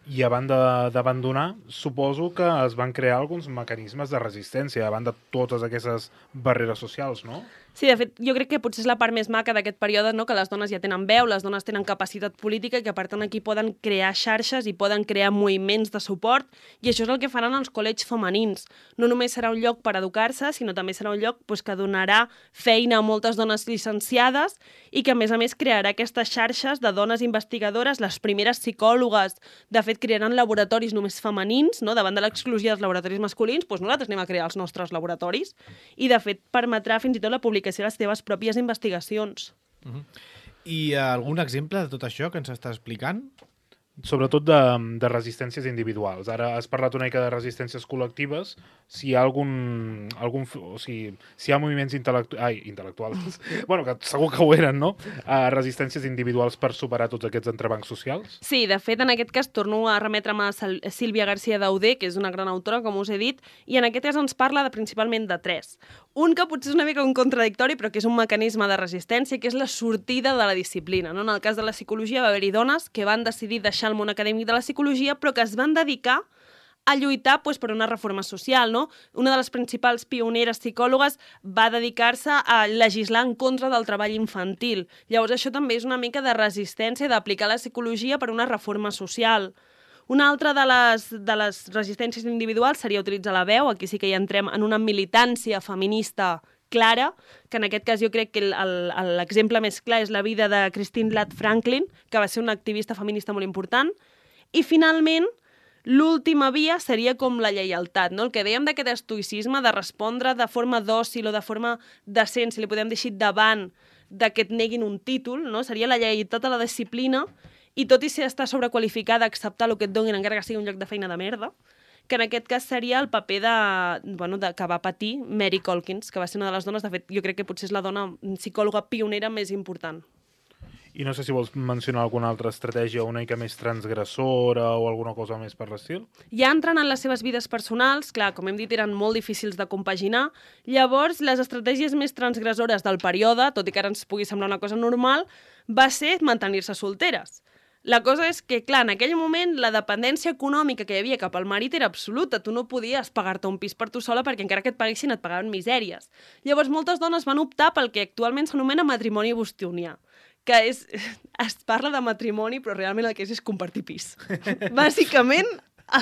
I a banda d'abandonar, suposo que es van crear alguns mecanismes de resistència a banda de totes aquestes barreres socials, no? Sí, de fet, jo crec que potser és la part més maca d'aquest període, no? Que les dones ja tenen veu, les dones tenen capacitat política i que, per tant, aquí poden crear xarxes i poden crear moviments de suport, i això és el que faran els col·legis femenins. No només serà un lloc per educar-se, sinó també serà un lloc que donarà feina a moltes dones llicenciades i que, a més, crearà aquestes xarxes de dones investigadores, les primeres psicòlogues. De fet, crearan laboratoris només femenins, no? Davant de l'exclusió dels laboratoris masculins, doncs nosaltres anem a crear els nostres laboratoris. I, de fet, permetrà fins i tot la publicació de les teves pròpies investigacions. I algun exemple de tot això que ens està explicant? Sobretot de resistències individuals. Ara has parlat una mica de resistències col·lectives. Si hi ha si hi ha moviments intel·lectuals, bueno, que segur que ho eren, no? Resistències individuals per superar tots aquests entrebancs socials? Sí, de fet, en aquest cas torno a remetre'm a Sílvia García Dauder, que és una gran autora, com us he dit, i en aquest cas ens parla principalment de 3. Un que potser és una mica un contradictori, però que és un mecanisme de resistència, que és la sortida de la disciplina. No? En el cas de la psicologia va haver-hi dones que van decidir deixar el món acadèmic de la psicologia, però que es van dedicar a lluitar per una reforma social. No? Una de les principals pioneres psicòlogues va dedicar-se a legislar en contra del treball infantil. Llavors això també és una mica de resistència d'aplicar la psicologia per una reforma social. Una altra de les resistències individuals seria utilitzar la veu. Aquí sí que ja entrem en una militància feminista clara, que en aquest cas jo crec que l'exemple més clar és la vida de Christine Ladd Franklin, que va ser una activista feminista molt important. I finalment, l'última via seria com la lleialtat, no? El que dèiem d'aquest estoïcisme de respondre de forma dòcil o de forma decent, si li podem dir així, davant de que et neguin un títol, no? Seria la lleialtat a la disciplina i tot i ser estar sobrequalificada, acceptar el que et donin encara que sigui un lloc de feina de merda, que en aquest cas seria el paper que va patir Mary Calkins, que va ser una de les dones, de fet, jo crec que potser és la dona psicòloga pionera més important. I no sé si vols mencionar alguna altra estratègia una mica més transgressora o alguna cosa més per l'estil? Ja entrant en les seves vides personals, clar, com hem dit, eren molt difícils de compaginar, llavors les estratègies més transgressores del període, tot i que ara ens pugui semblar una cosa normal, va ser mantenir-se solteres. La cosa és que, clar, en aquell moment la dependència econòmica que hi havia cap al marit era absoluta. Tu no podies pagar-te un pis per tu sola perquè encara que et paguessin et pagaven misèries. Llavors moltes dones van optar pel que actualment s'anomena matrimoni bostonià, que es parla de matrimoni però realment el que és compartir pis. Bàsicament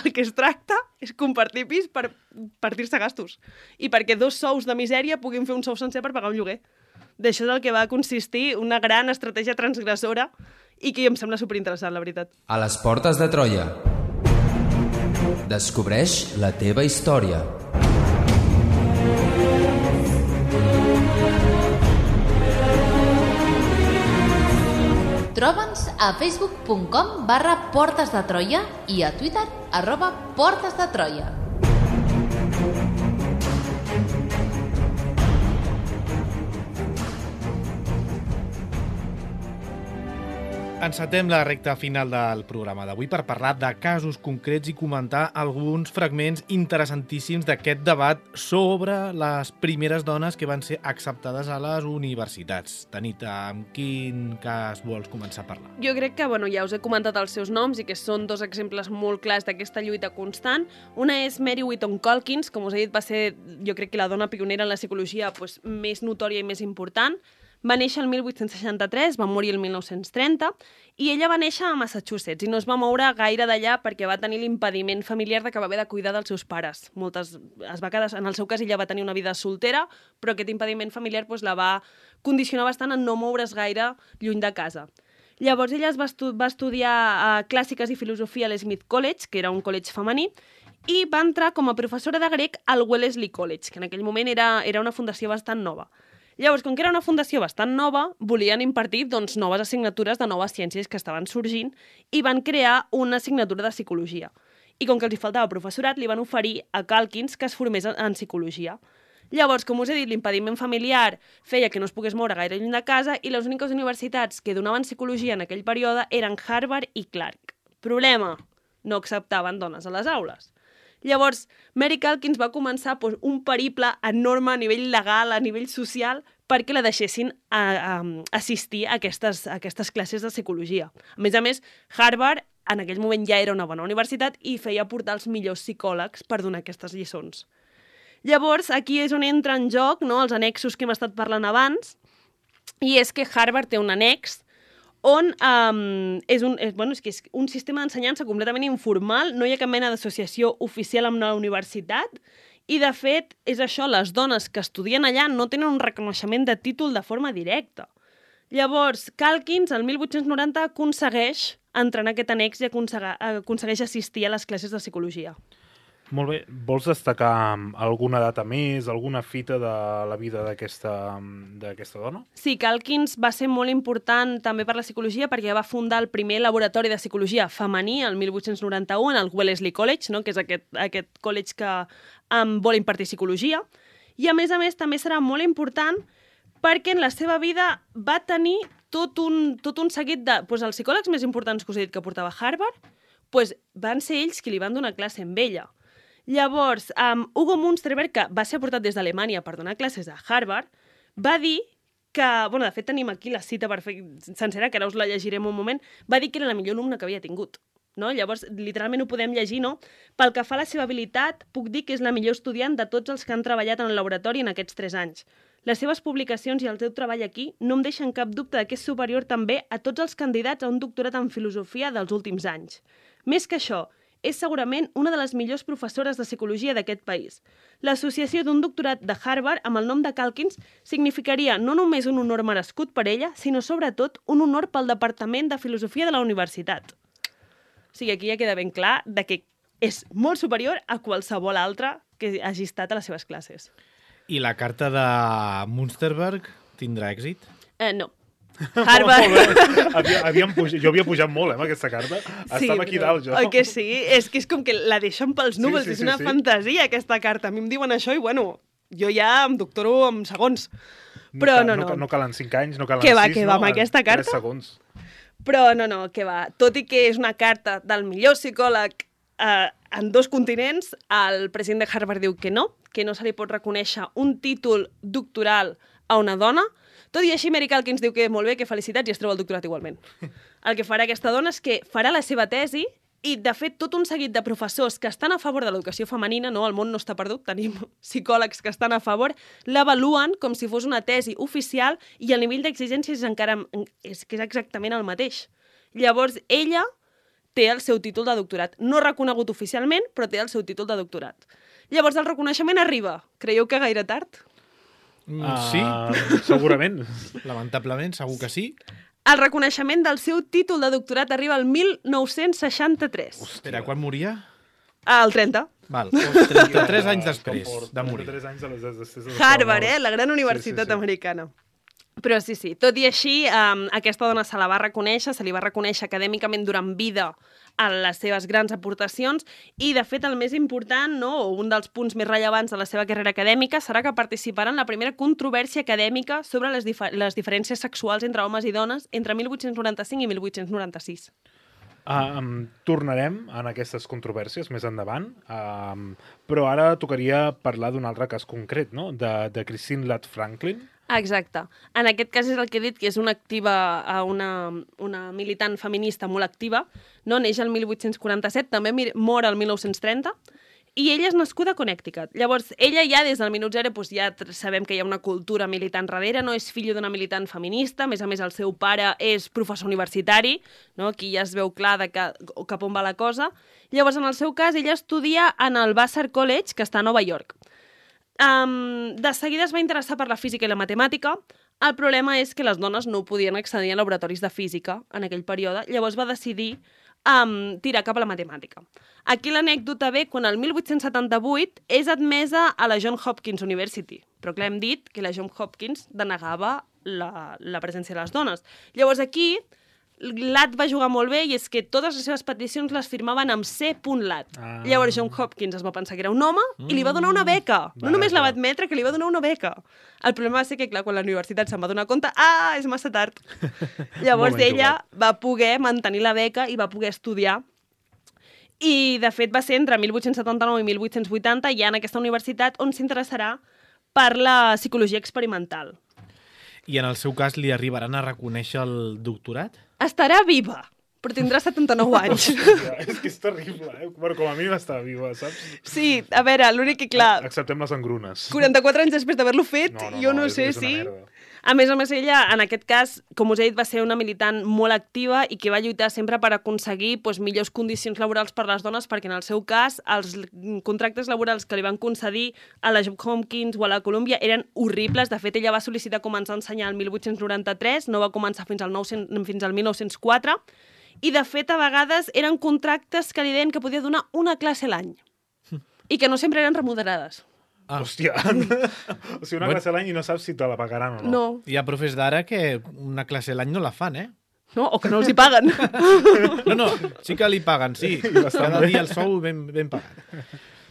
el que es tracta és compartir pis per partir-se gastos i perquè 2 sous de misèria puguin fer un sou sencer per pagar un lloguer. D'això és el que va consistir una gran estratègia transgressora i que em sembla superinteressant, la veritat. A les portes de Troia. Descobreix la teva història. Troba'ns a facebook.com/Portes de Troia i a Twitter @Portes de Troia. Encetem la recta final del programa d'avui per parlar de casos concrets i comentar alguns fragments interessantíssims d'aquest debat sobre les primeres dones que van ser acceptades a les universitats. Tanita, amb quin cas vols començar a parlar? Jo crec que, ja us he comentat els seus noms i que són 2 exemples molt clars d'aquesta lluita constant. Una és Mary Whitton Calkins, com us he dit, va ser, jo crec que la dona pionera en la psicologia més notòria i més important. Va néixer el 1863, va morir el 1930, i ella va néixer a Massachusetts i no es va moure gaire d'allà perquè va tenir l'impediment familiar de que va haver de cuidar dels seus pares. En el seu cas, ella va tenir una vida soltera, però aquest impediment familiar la va condicionar bastant en no moure's gaire lluny de casa. Llavors ella va estudiar clàssiques i filosofia a l'Smith College, que era un college femení, i va entrar com a professora de grec al Wellesley College, que en aquell moment era una fundació bastant nova. Llavors, com que era una fundació bastant nova, volien impartir noves assignatures de noves ciències que estaven sorgint i van crear una assignatura de psicologia. I com que els hi faltava professorat, li van oferir a Calkins que es formés en psicologia. Llavors, com us he dit, l'impediment familiar feia que no es pogués moure gaire lluny de casa i les úniques universitats que donaven psicologia en aquell període eren Harvard i Clark. Problema, no acceptaven dones a les aules. Llavors, Mary Calkins va començar un periple enorme a nivell legal, a nivell social, perquè la deixessin assistir a aquestes classes de psicologia. A més, Harvard en aquell moment ja era una bona universitat i feia portar els millors psicòlegs per donar aquestes lliçons. Llavors, aquí és on entra en joc els annexos que hem estat parlant abans, i és que Harvard té un annex on és un sistema d'ensenyança completament informal, no hi ha cap mena d'associació oficial amb la universitat, i de fet, és això, les dones que estudien allà no tenen un reconeixement de títol de forma directa. Llavors, Calkins, el 1890, aconsegueix entrar en aquest annex i aconsegueix assistir a les classes de psicologia. Molt bé. Vols destacar alguna data més, alguna fita de la vida d'aquesta dona? Sí, Calkins va ser molt important també per la psicologia perquè va fundar el primer laboratori de psicologia femení el 1891 en el Wellesley College, que és aquest college que vol impartir psicologia. I a més també serà molt important perquè en la seva vida va tenir tot un seguit de... els psicòlegs més importants que us he dit que portava Harvard, van ser ells qui li van donar classe amb ella. Llavors, Hugo Münsterberg, que va ser portat des d'Alemanya per donar classes a Harvard, va dir que, de fet tenim aquí la cita sencera, que ara us la llegirem un moment, va dir que era la millor alumna que havia tingut. Llavors, literalment ho podem llegir, Pel que fa a la seva habilitat, puc dir que és la millor estudiant de tots els que han treballat en el laboratori en aquests 3 anys. Les seves publicacions i el seu treball aquí no em deixen cap dubte que és superior també a tots els candidats a un doctorat en filosofia dels últims anys. Més que això, és segurament una de les millors professores de psicologia d'aquest país. L'associació d'un doctorat de Harvard amb el nom de Calkins significaria no només un honor merescut per ella, sinó sobretot un honor pel Departament de Filosofia de la Universitat. O sigui, aquí ja queda ben clar que és molt superior a qualsevol altre que hagi estat a les seves classes. I la carta de Münsterberg tindrà èxit? No. Harvard... Jo havia pujat molt, amb aquesta carta. Estava aquí dalt, jo. Oi que sí? És que és com que la deixen pels núvols. Sí, és una fantasia, aquesta carta. A mi em diuen això i, bueno, jo ja em doctoro en segons. Però no. No calen 5 anys, no calen 6, Què va, amb aquesta carta? 3 segons. Però no, què va. Tot i que és una carta del millor psicòleg en 2 continents, el president de Harvard diu que no se li pot reconèixer un títol doctoral a una dona. Tot i així, Mary Calkins diu que molt bé, que felicitats, i es treu el doctorat igualment. El que farà aquesta dona és que farà la seva tesi i, de fet, tot un seguit de professors que estan a favor de l'educació femenina, no, el món no està perdut, tenim psicòlegs que estan a favor, l'avaluen com si fos una tesi oficial i el nivell d'exigència és exactament el mateix. Llavors, ella té el seu títol de doctorat. No reconegut oficialment, però té el seu títol de doctorat. Llavors, el reconeixement arriba. Creieu que gaire tard? Sí. Segurament. Lamentablement, segur que sí. El reconeixement del seu títol de doctorat arriba al 1963. Espera, quan moria? Al 30. Val, 33 anys després de morir. 33 anys després de Harvard, la gran universitat americana. Però sí, tot i així, aquesta dona se la va reconèixer, se li va reconèixer acadèmicament durant vida a les seves grans aportacions i, de fet, el més important, no, o un dels punts més rellevants de la seva carrera acadèmica serà que participarà en la primera controvèrsia acadèmica sobre les diferències sexuals entre homes i dones entre 1895 i 1896. Tornarem en aquestes controvèrsies més endavant, però ara tocaria parlar d'un altre cas concret, no? de Christine Ladd Franklin. Exacte. En aquest cas és el que he dit, que és una militant feminista molt activa, no? Neix el 1847, també mor el 1930, i ella és nascuda a Connecticut. Llavors, ella ja des del minut zero ja sabem que hi ha una cultura militant darrere, no és fill d'una militant feminista, a més, el seu pare és professor universitari, no? Aquí ja es veu clar cap on va la cosa. Llavors, en el seu cas, ella estudia en el Vassar College, que està a Nova York. De seguida es va interessar per la física i la matemàtica. El problema és que les dones no podien accedir a laboratoris de física en aquell període, llavors va decidir tirar cap a la matemàtica. Aquí l'anècdota ve quan el 1878 és admesa a la Johns Hopkins University, però clar, hem dit que la Johns Hopkins denegava la presència de les dones. Llavors aquí Ladd va jugar molt bé i és que totes les seves peticions les firmaven amb C.Ladd. Llavors John Hopkins es va pensar que era un home i li va donar una beca. No només la va admetre, que li va donar una beca. El problema va ser que, clar, quan la universitat se'n va donar compte, és massa tard. Llavors ella va poder mantenir la beca i va poder estudiar. I, de fet, va ser entre 1879 i 1880 ja en aquesta universitat on s'interessarà per la psicologia experimental. I en el seu cas li arribaran a reconèixer el doctorat? Estarà viva, però tindrà 79 anys. És que és terrible, Bueno, com a mínim està viva, saps? Sí, a veure, l'únic que, clar... Acceptem les engrunes. 44 anys després d'haver-lo fet, jo no sé si... A més, ella, en aquest cas, com us he dit, va ser una militant molt activa i que va lluitar sempre per aconseguir millors condicions laborals per a les dones, perquè en el seu cas els contractes laborals que li van concedir a la Johns Hopkins o a la Columbia eren horribles. De fet, ella va sol·licitar començar a ensenyar el 1893, no va començar fins al 1904, i de fet, a vegades eren contractes que li deien que podia donar una classe a l'any i que no sempre eren remunerades. Hòstia, o sigui, una classe a l'any i no saps si te la pagaran o no. No. Hi ha profes d'ara que una classe a l'any no la fan, No, o que no els hi paguen. No, sí que li paguen, sí. Cada dia el sou ben pagat.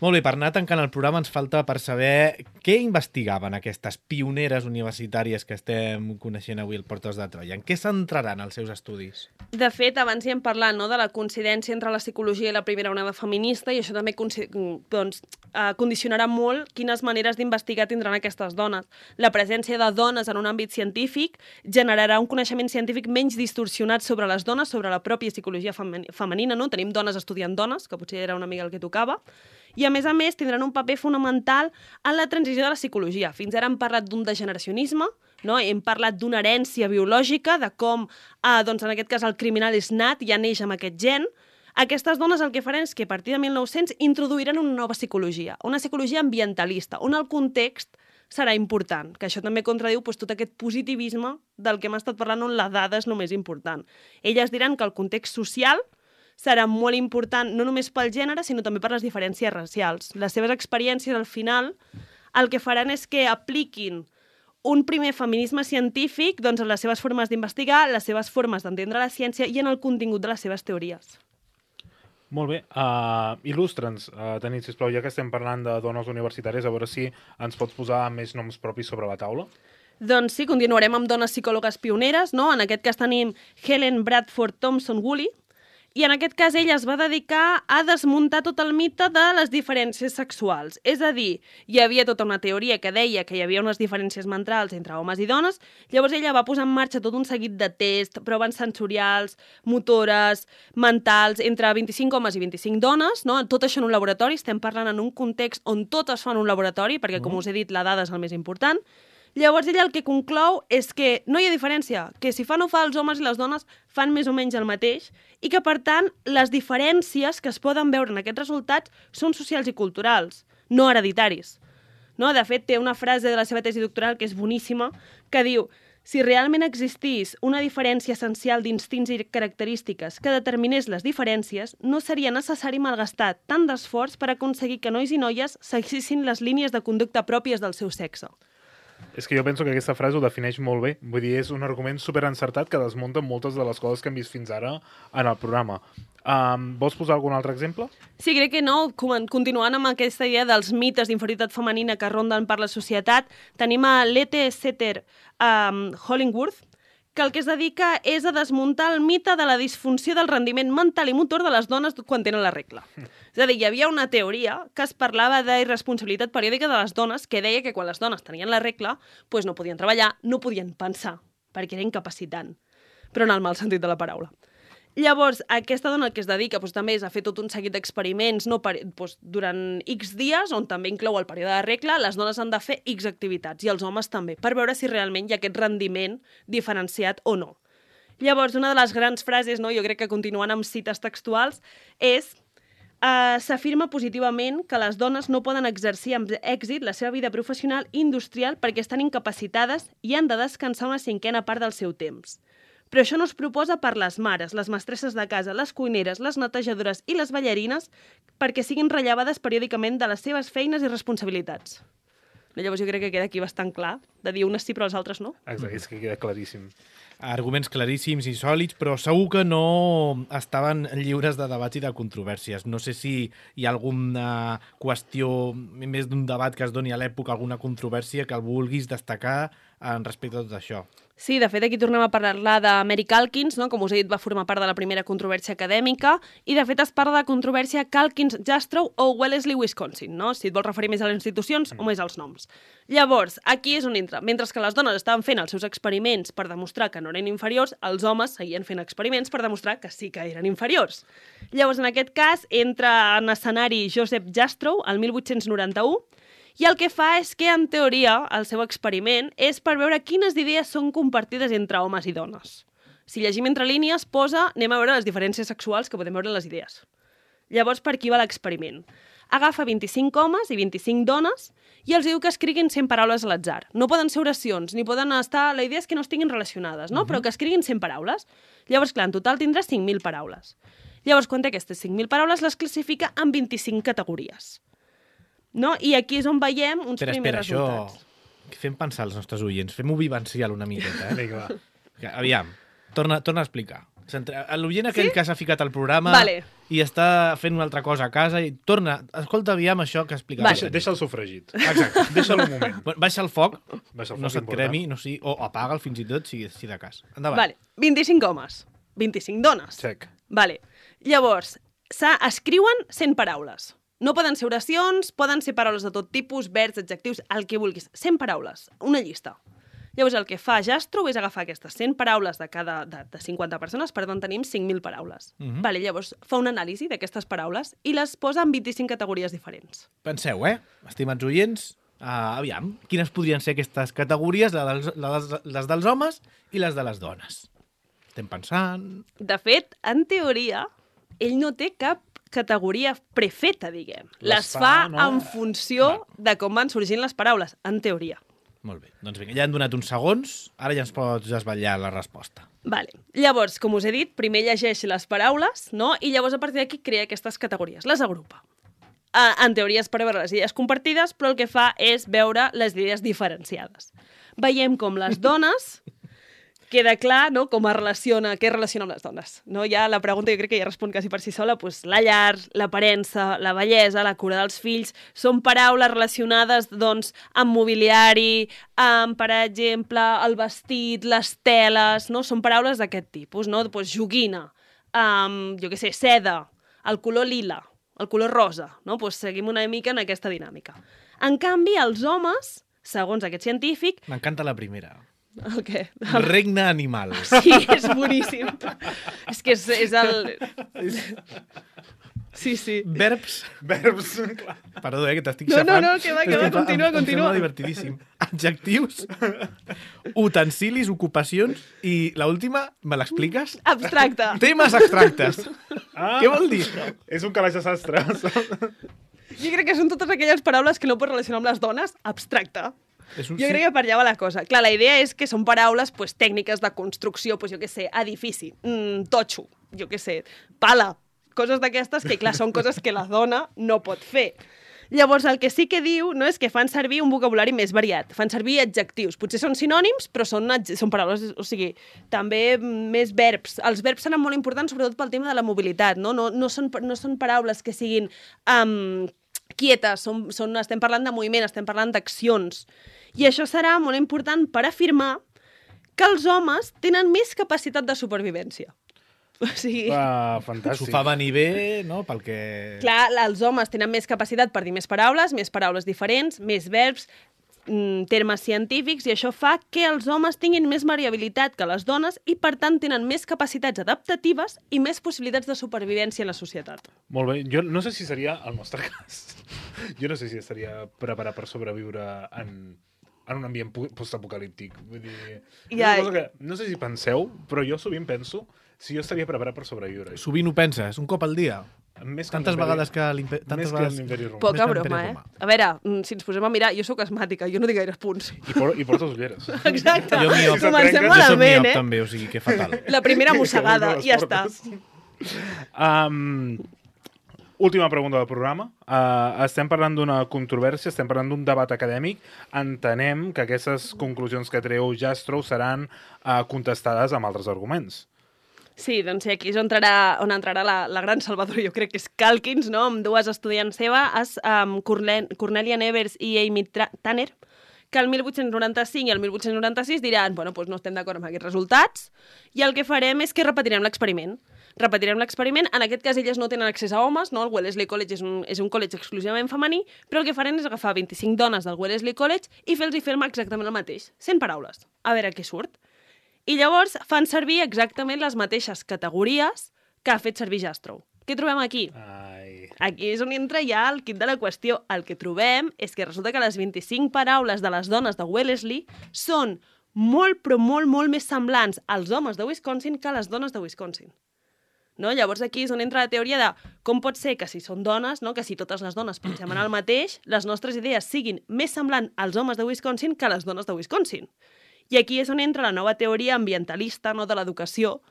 Molt bé, per anar tancant el programa ens falta per saber què investigaven aquestes pioneres universitàries que estem coneixent avui al Portes de Troia. En què centraran els seus estudis? De fet, abans hi hem parlat de la coincidència entre la psicologia i la primera onada feminista i això també condicionarà molt quines maneres d'investigar tindran aquestes dones. La presència de dones en un àmbit científic generarà un coneixement científic menys distorsionat sobre les dones, sobre la pròpia psicologia femenina, no? Tenim dones estudiant dones, que potser era una mica el que tocava, i a més tindran un paper fonamental en la transició de la psicologia. Fins ara hem parlat d'un degeneracionisme, no? Hem parlat d'una herència biològica, de com, en aquest cas, el criminal és nat, ja neix amb aquest gen. Aquestes dones el que faran és que a partir de 1900 introduiran una nova psicologia, una psicologia ambientalista, on el context serà important, que això també contradiu tot aquest positivisme del que hem estat parlant on la dada és el més important. Elles diran que el context social serà molt important no només pel gènere, sinó també per les diferències racials. Les seves experiències, al final, el que faran és que apliquin un primer feminisme científic doncs, en les seves formes d'investigar, les seves formes d'entendre la ciència i en el contingut de les seves teories. Molt bé. Il·lustra'ns, Tanit, sisplau, ja que estem parlant de dones universitàries, a veure si ens pots posar més noms propis sobre la taula. Doncs sí, continuarem amb dones psicòlogues pioneres, no? En aquest cas tenim Helen Bradford Thompson-Woolley, i en aquest cas ella es va dedicar a desmuntar tot el mite de les diferències sexuals. És a dir, hi havia tota una teoria que deia que hi havia unes diferències mentals entre homes i dones, llavors ella va posar en marxa tot un seguit de tests, proves sensorials, motores, mentals, entre 25 homes i 25 dones, no? Tot això en un laboratori, estem parlant en un context on tot es fa en un laboratori, perquè, com us he dit, la dada és el més important. Llavors ella el que conclou és que no hi ha diferència, que si fan o fa els homes i les dones fan més o menys el mateix i que, per tant, les diferències que es poden veure en aquests resultats són socials i culturals, no hereditaris. No? De fet, té una frase de la seva tesi doctoral que és boníssima, que diu: si realment existís una diferència essencial d'instints i característiques que determinés les diferències, no seria necessari malgastar tant d'esforç per aconseguir que nois i noies seguissin les línies de conducta pròpies del seu sexe. És que jo penso que aquesta frase ho defineix molt bé. Vull dir, és un argument superencertat que desmunta moltes de les coses que hem vist fins ara en el programa. Vols posar algun altre exemple? Sí, crec que no. Continuant amb aquesta idea dels mites d'inferioritat femenina que ronden per la societat, tenim a Lete Setter Hollingworth, que el que es dedica és a desmuntar el mite de la disfunció del rendiment mental i motor de les dones quan tenen la regla. És a dir, hi havia una teoria que es parlava d'irresponsabilitat periòdica de les dones que deia que quan les dones tenien la regla doncs no podien treballar, no podien pensar, perquè era incapacitant, però en el mal sentit de la paraula. Llavors, aquesta dona el que es dedica també és a fer tot un seguit d'experiments durant X dies, on també inclou el període de regla, les dones han de fer X activitats, i els homes també, per veure si realment hi ha aquest rendiment diferenciat o no. Llavors, una de les grans frases, jo crec que continuant amb cites textuals, és: s'afirma positivament que les dones no poden exercir amb èxit la seva vida professional i industrial perquè estan incapacitades i han de descansar una cinquena part del seu temps. Però això no es proposa per les mares, les mestresses de casa, les cuineres, les netejadores i les ballarines perquè siguin rellevades periòdicament de les seves feines i responsabilitats. Llavors jo crec que queda aquí bastant clar, de dir unes sí però les altres no. Exacte, és que queda claríssim. Arguments claríssims i sòlids, però segur que no estaven lliures de debats i de controvèrsies. No sé si hi ha alguna qüestió, més d'un debat que es doni a l'època, alguna controvèrsia que el vulguis destacar respecte a tot això. Sí, de fet, aquí tornem a parlar de Mary Calkins, no? Com us he dit, va formar part de la primera controvèrsia acadèmica, i de fet es parla de controvèrsia Calkins-Jastrow o Wellesley, Wisconsin, no? Si et vols referir més a les institucions o més als noms. Llavors, aquí és on entra. Mentre que les dones estaven fent els seus experiments per demostrar que no eren inferiors, els homes seguien fent experiments per demostrar que sí que eren inferiors. Llavors, en aquest cas, entra en escenari Joseph Jastrow, el 1891, i el que fa és que, en teoria, el seu experiment és per veure quines idees són compartides entre homes i dones. Si llegim entre línies, posa, anem a veure les diferències sexuals que podem veure en les idees. Llavors, per aquí va l'experiment. Agafa 25 homes i 25 dones i els diu que escriguin 100 paraules a l'atzar. No poden ser oracions, ni poden estar... La idea és que no estiguin relacionades, no? Però que escriguin 100 paraules. Llavors, clar, en total tindràs 5.000 paraules. Llavors, quan té aquestes 5.000 paraules, les classifica en 25 categories. No? I aquí és on veiem uns primers resultats. Això fem pensar als nostres oients, fem-ho vivencial una miqueta. Vinga, va. Aviam, torna a explicar. L'oient aquell que s'ha ficat al programa i està fent una altra cosa a casa i torna, escolta, aviam això que explica. Deixa'l sofregit. Exacte. Deixa'l un moment. Baixa el foc, no se't cremi, o apaga'l fins i tot, si de cas. Endavant. Vale. 25 homes, 25 dones. Check. Vale. Llavors, escriuen 100 paraules. No poden ser oracions, poden ser paraules de tot tipus, verbs, adjectius, el que vulguis. 100 paraules, una llista. Llavors, el que fa Jastrow és agafar aquestes 100 paraules de 50 persones, per tant, tenim 5.000 paraules. Vale, llavors, fa una anàlisi d'aquestes paraules i les posa en 25 categories diferents. Penseu, estimats oients, aviam, quines podrien ser aquestes categories, les dels homes i les de les dones? Estem pensant... De fet, en teoria, ell no té cap categoria prefeta, diguem. Les fa en funció de com van sorgint les paraules, en teoria. Molt bé. Doncs vinga, ja han donat uns segons, ara ja ens pots desvetllar la resposta. Vale. Llavors, com us he dit, primer llegeix les paraules, no? I llavors a partir d'aquí crea aquestes categories, les agrupa. En teoria és per veure les idees compartides, però el que fa és veure les idees diferenciades. Veiem com les dones, queda clar, no?, com es relaciona, què relaciona amb les dones. No? Ja la pregunta jo crec que ja respon quasi per si sola, doncs la llar, l'aparença, la bellesa, la cura dels fills, són paraules relacionades doncs, amb mobiliari, amb, per exemple, el vestit, les teles, no? Són paraules d'aquest tipus, no? Doncs joguina, jo què sé, seda, el color lila, el color rosa, no? Doncs seguim una mica en aquesta dinàmica. En canvi, els homes, segons aquest científic... M'encanta la primera. El què? Regne animal. Sí, és boníssim. És que és el... Sí, sí. Verbs. Clar. Perdó, que t'estic No, xafant. no, que va, continua. Em sembla divertidíssim. Adjectius, utensilis, ocupacions i l'última, me l'expliques? Abstracte. Temes abstractes. Què vol dir? És un calaix de sastres. Jo crec que són totes aquelles paraules que no pots relacionar amb les dones. Abstracte. Jo crec que per allà va la cosa. Clar, la idea és que són paraules pues, tècniques de construcció, pues, jo què sé, edifici, totxo, jo què sé, pala, coses d'aquestes que, clar, són coses que la dona no pot fer. Llavors, el que sí que diu no és que fan servir un vocabulari més variat, fan servir adjectius. Potser són sinònims, però són paraules, o sigui, també més verbs. Els verbs seran molt importants, sobretot pel tema de la mobilitat, no? No són paraules que siguin quietes, estem parlant de moviment, estem parlant d'accions. I això serà molt important per afirmar que els homes tenen més capacitat de supervivència. O sigui... Fantàstic. S'ho fa venir bé, no?, pel que... Clar, els homes tenen més capacitat per dir més paraules diferents, més verbs, termes científics, i això fa que els homes tinguin més variabilitat que les dones i, per tant, tenen més capacitats adaptatives i més possibilitats de supervivència en la societat. Molt bé. Jo no sé si seria el nostre cas. Jo no sé si estaria preparat per sobreviure en un ambient postapocalíptic. Vull dir, no sé si penseu, però jo sovint penso si jo estaria preparat per sobreviure. Sovint ho penses, un cop al dia. Tantes vegades que l'Imperi Romà. Poca broma, eh? A veure, si ens posem a mirar, jo sóc asmàtica, jo no tinc gaires punts. I portes ulleres. Exacte. Jo miop. Comencem Jo soc malament, miop, també, o sigui que fatal. La primera mossegada, i ja està. Última pregunta del programa. Estem parlant d'una controvèrsia, estem parlant d'un debat acadèmic. Entenem que aquestes conclusions que treu Jastrow seran contestades amb altres arguments. Sí, doncs sí, aquí és on entrarà la gran salvadora, jo crec que és Calkins, no?, amb dues estudiants seves, Cornelia Nevers i Amy Tanner, que el 1895 i el 1896 diran, bueno, doncs no estem d'acord amb aquests resultats, i el que farem és que repetirem l'experiment. En aquest cas elles no tenen accés a homes, no? El Wellesley College és un college exclusivament femení, però el que farem és agafar 25 dones del Wellesley College i fer-los fer exactament el mateix, 100 paraules, a veure què surt. I llavors fan servir exactament les mateixes categories que ha fet servir Jastrow. Què trobem aquí? Aquí és on entra ja el quid de la qüestió. El que trobem és que resulta que les 25 paraules de les dones de Wellesley són molt, però molt, molt més semblants als homes de Wisconsin que a les dones de Wisconsin. No? Llavors aquí és on entra la teoria de com pot ser que si són dones, no? Que si totes les dones pensem en el mateix, les nostres idees siguin més semblants als homes de Wisconsin que a les dones de Wisconsin. I aquí és on entra la nova teoria ambientalista, no, de l'educació,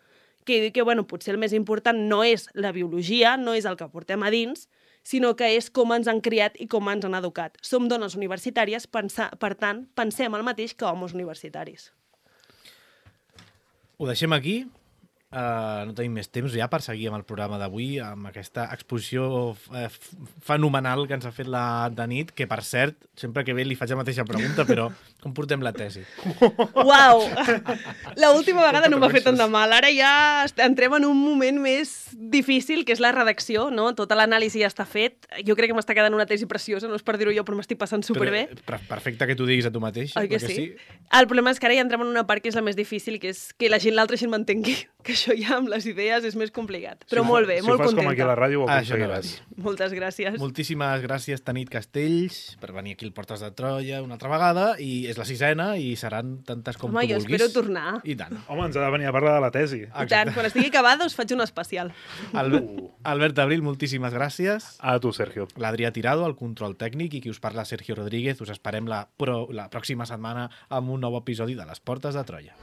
que diu que bueno, potser el més important no és la biologia, no és el que portem a dins, sinó que és com ens han criat i com ens han educat. Som dones universitàries, per tant, pensem el mateix que homes universitaris. Ho deixem aquí. No tenim més temps ja per seguir amb el programa d'avui, amb aquesta exposició fenomenal que ens ha fet la de nit, que per cert, sempre que ve li faig la mateixa pregunta, però com portem la tesi? Uau! L'última vegada no m'ha fet tant de mal. Ara ja entrem en un moment més difícil, que és la redacció, no? Tota l'anàlisi ja està fet. Jo crec que m'està quedant una tesi preciosa, no és per dir-ho jo, però m'estic passant superbé. Perfecte que t'ho diguis a tu mateix. Oi que sí? El problema és que ara ja entrem en una part que és la més difícil, que és que l'altra gent m'entengui. que això ja amb les idees és més complicat. Però molt bé, si molt ho fas contenta. com aquí a la ràdio ho Això no aconseguiràs. Moltes gràcies. Moltíssimes gràcies, Tanit Castells, per venir aquí al Portes de Troia una altra vegada, i és la 6ª i seran tantes com Home, tu jo vulguis. espero tornar. I tant. Home, ens ha de venir a parlar de la tesi. I tant, quan estigui acabada us faig un especial. Albert Abril, moltíssimes gràcies. A tu, Sergio. L'Adrià Tirado, el control tècnic, i qui us parla, Sergio Rodríguez. Us esperem la pròxima setmana amb un nou episodi de Les Portes de Troia.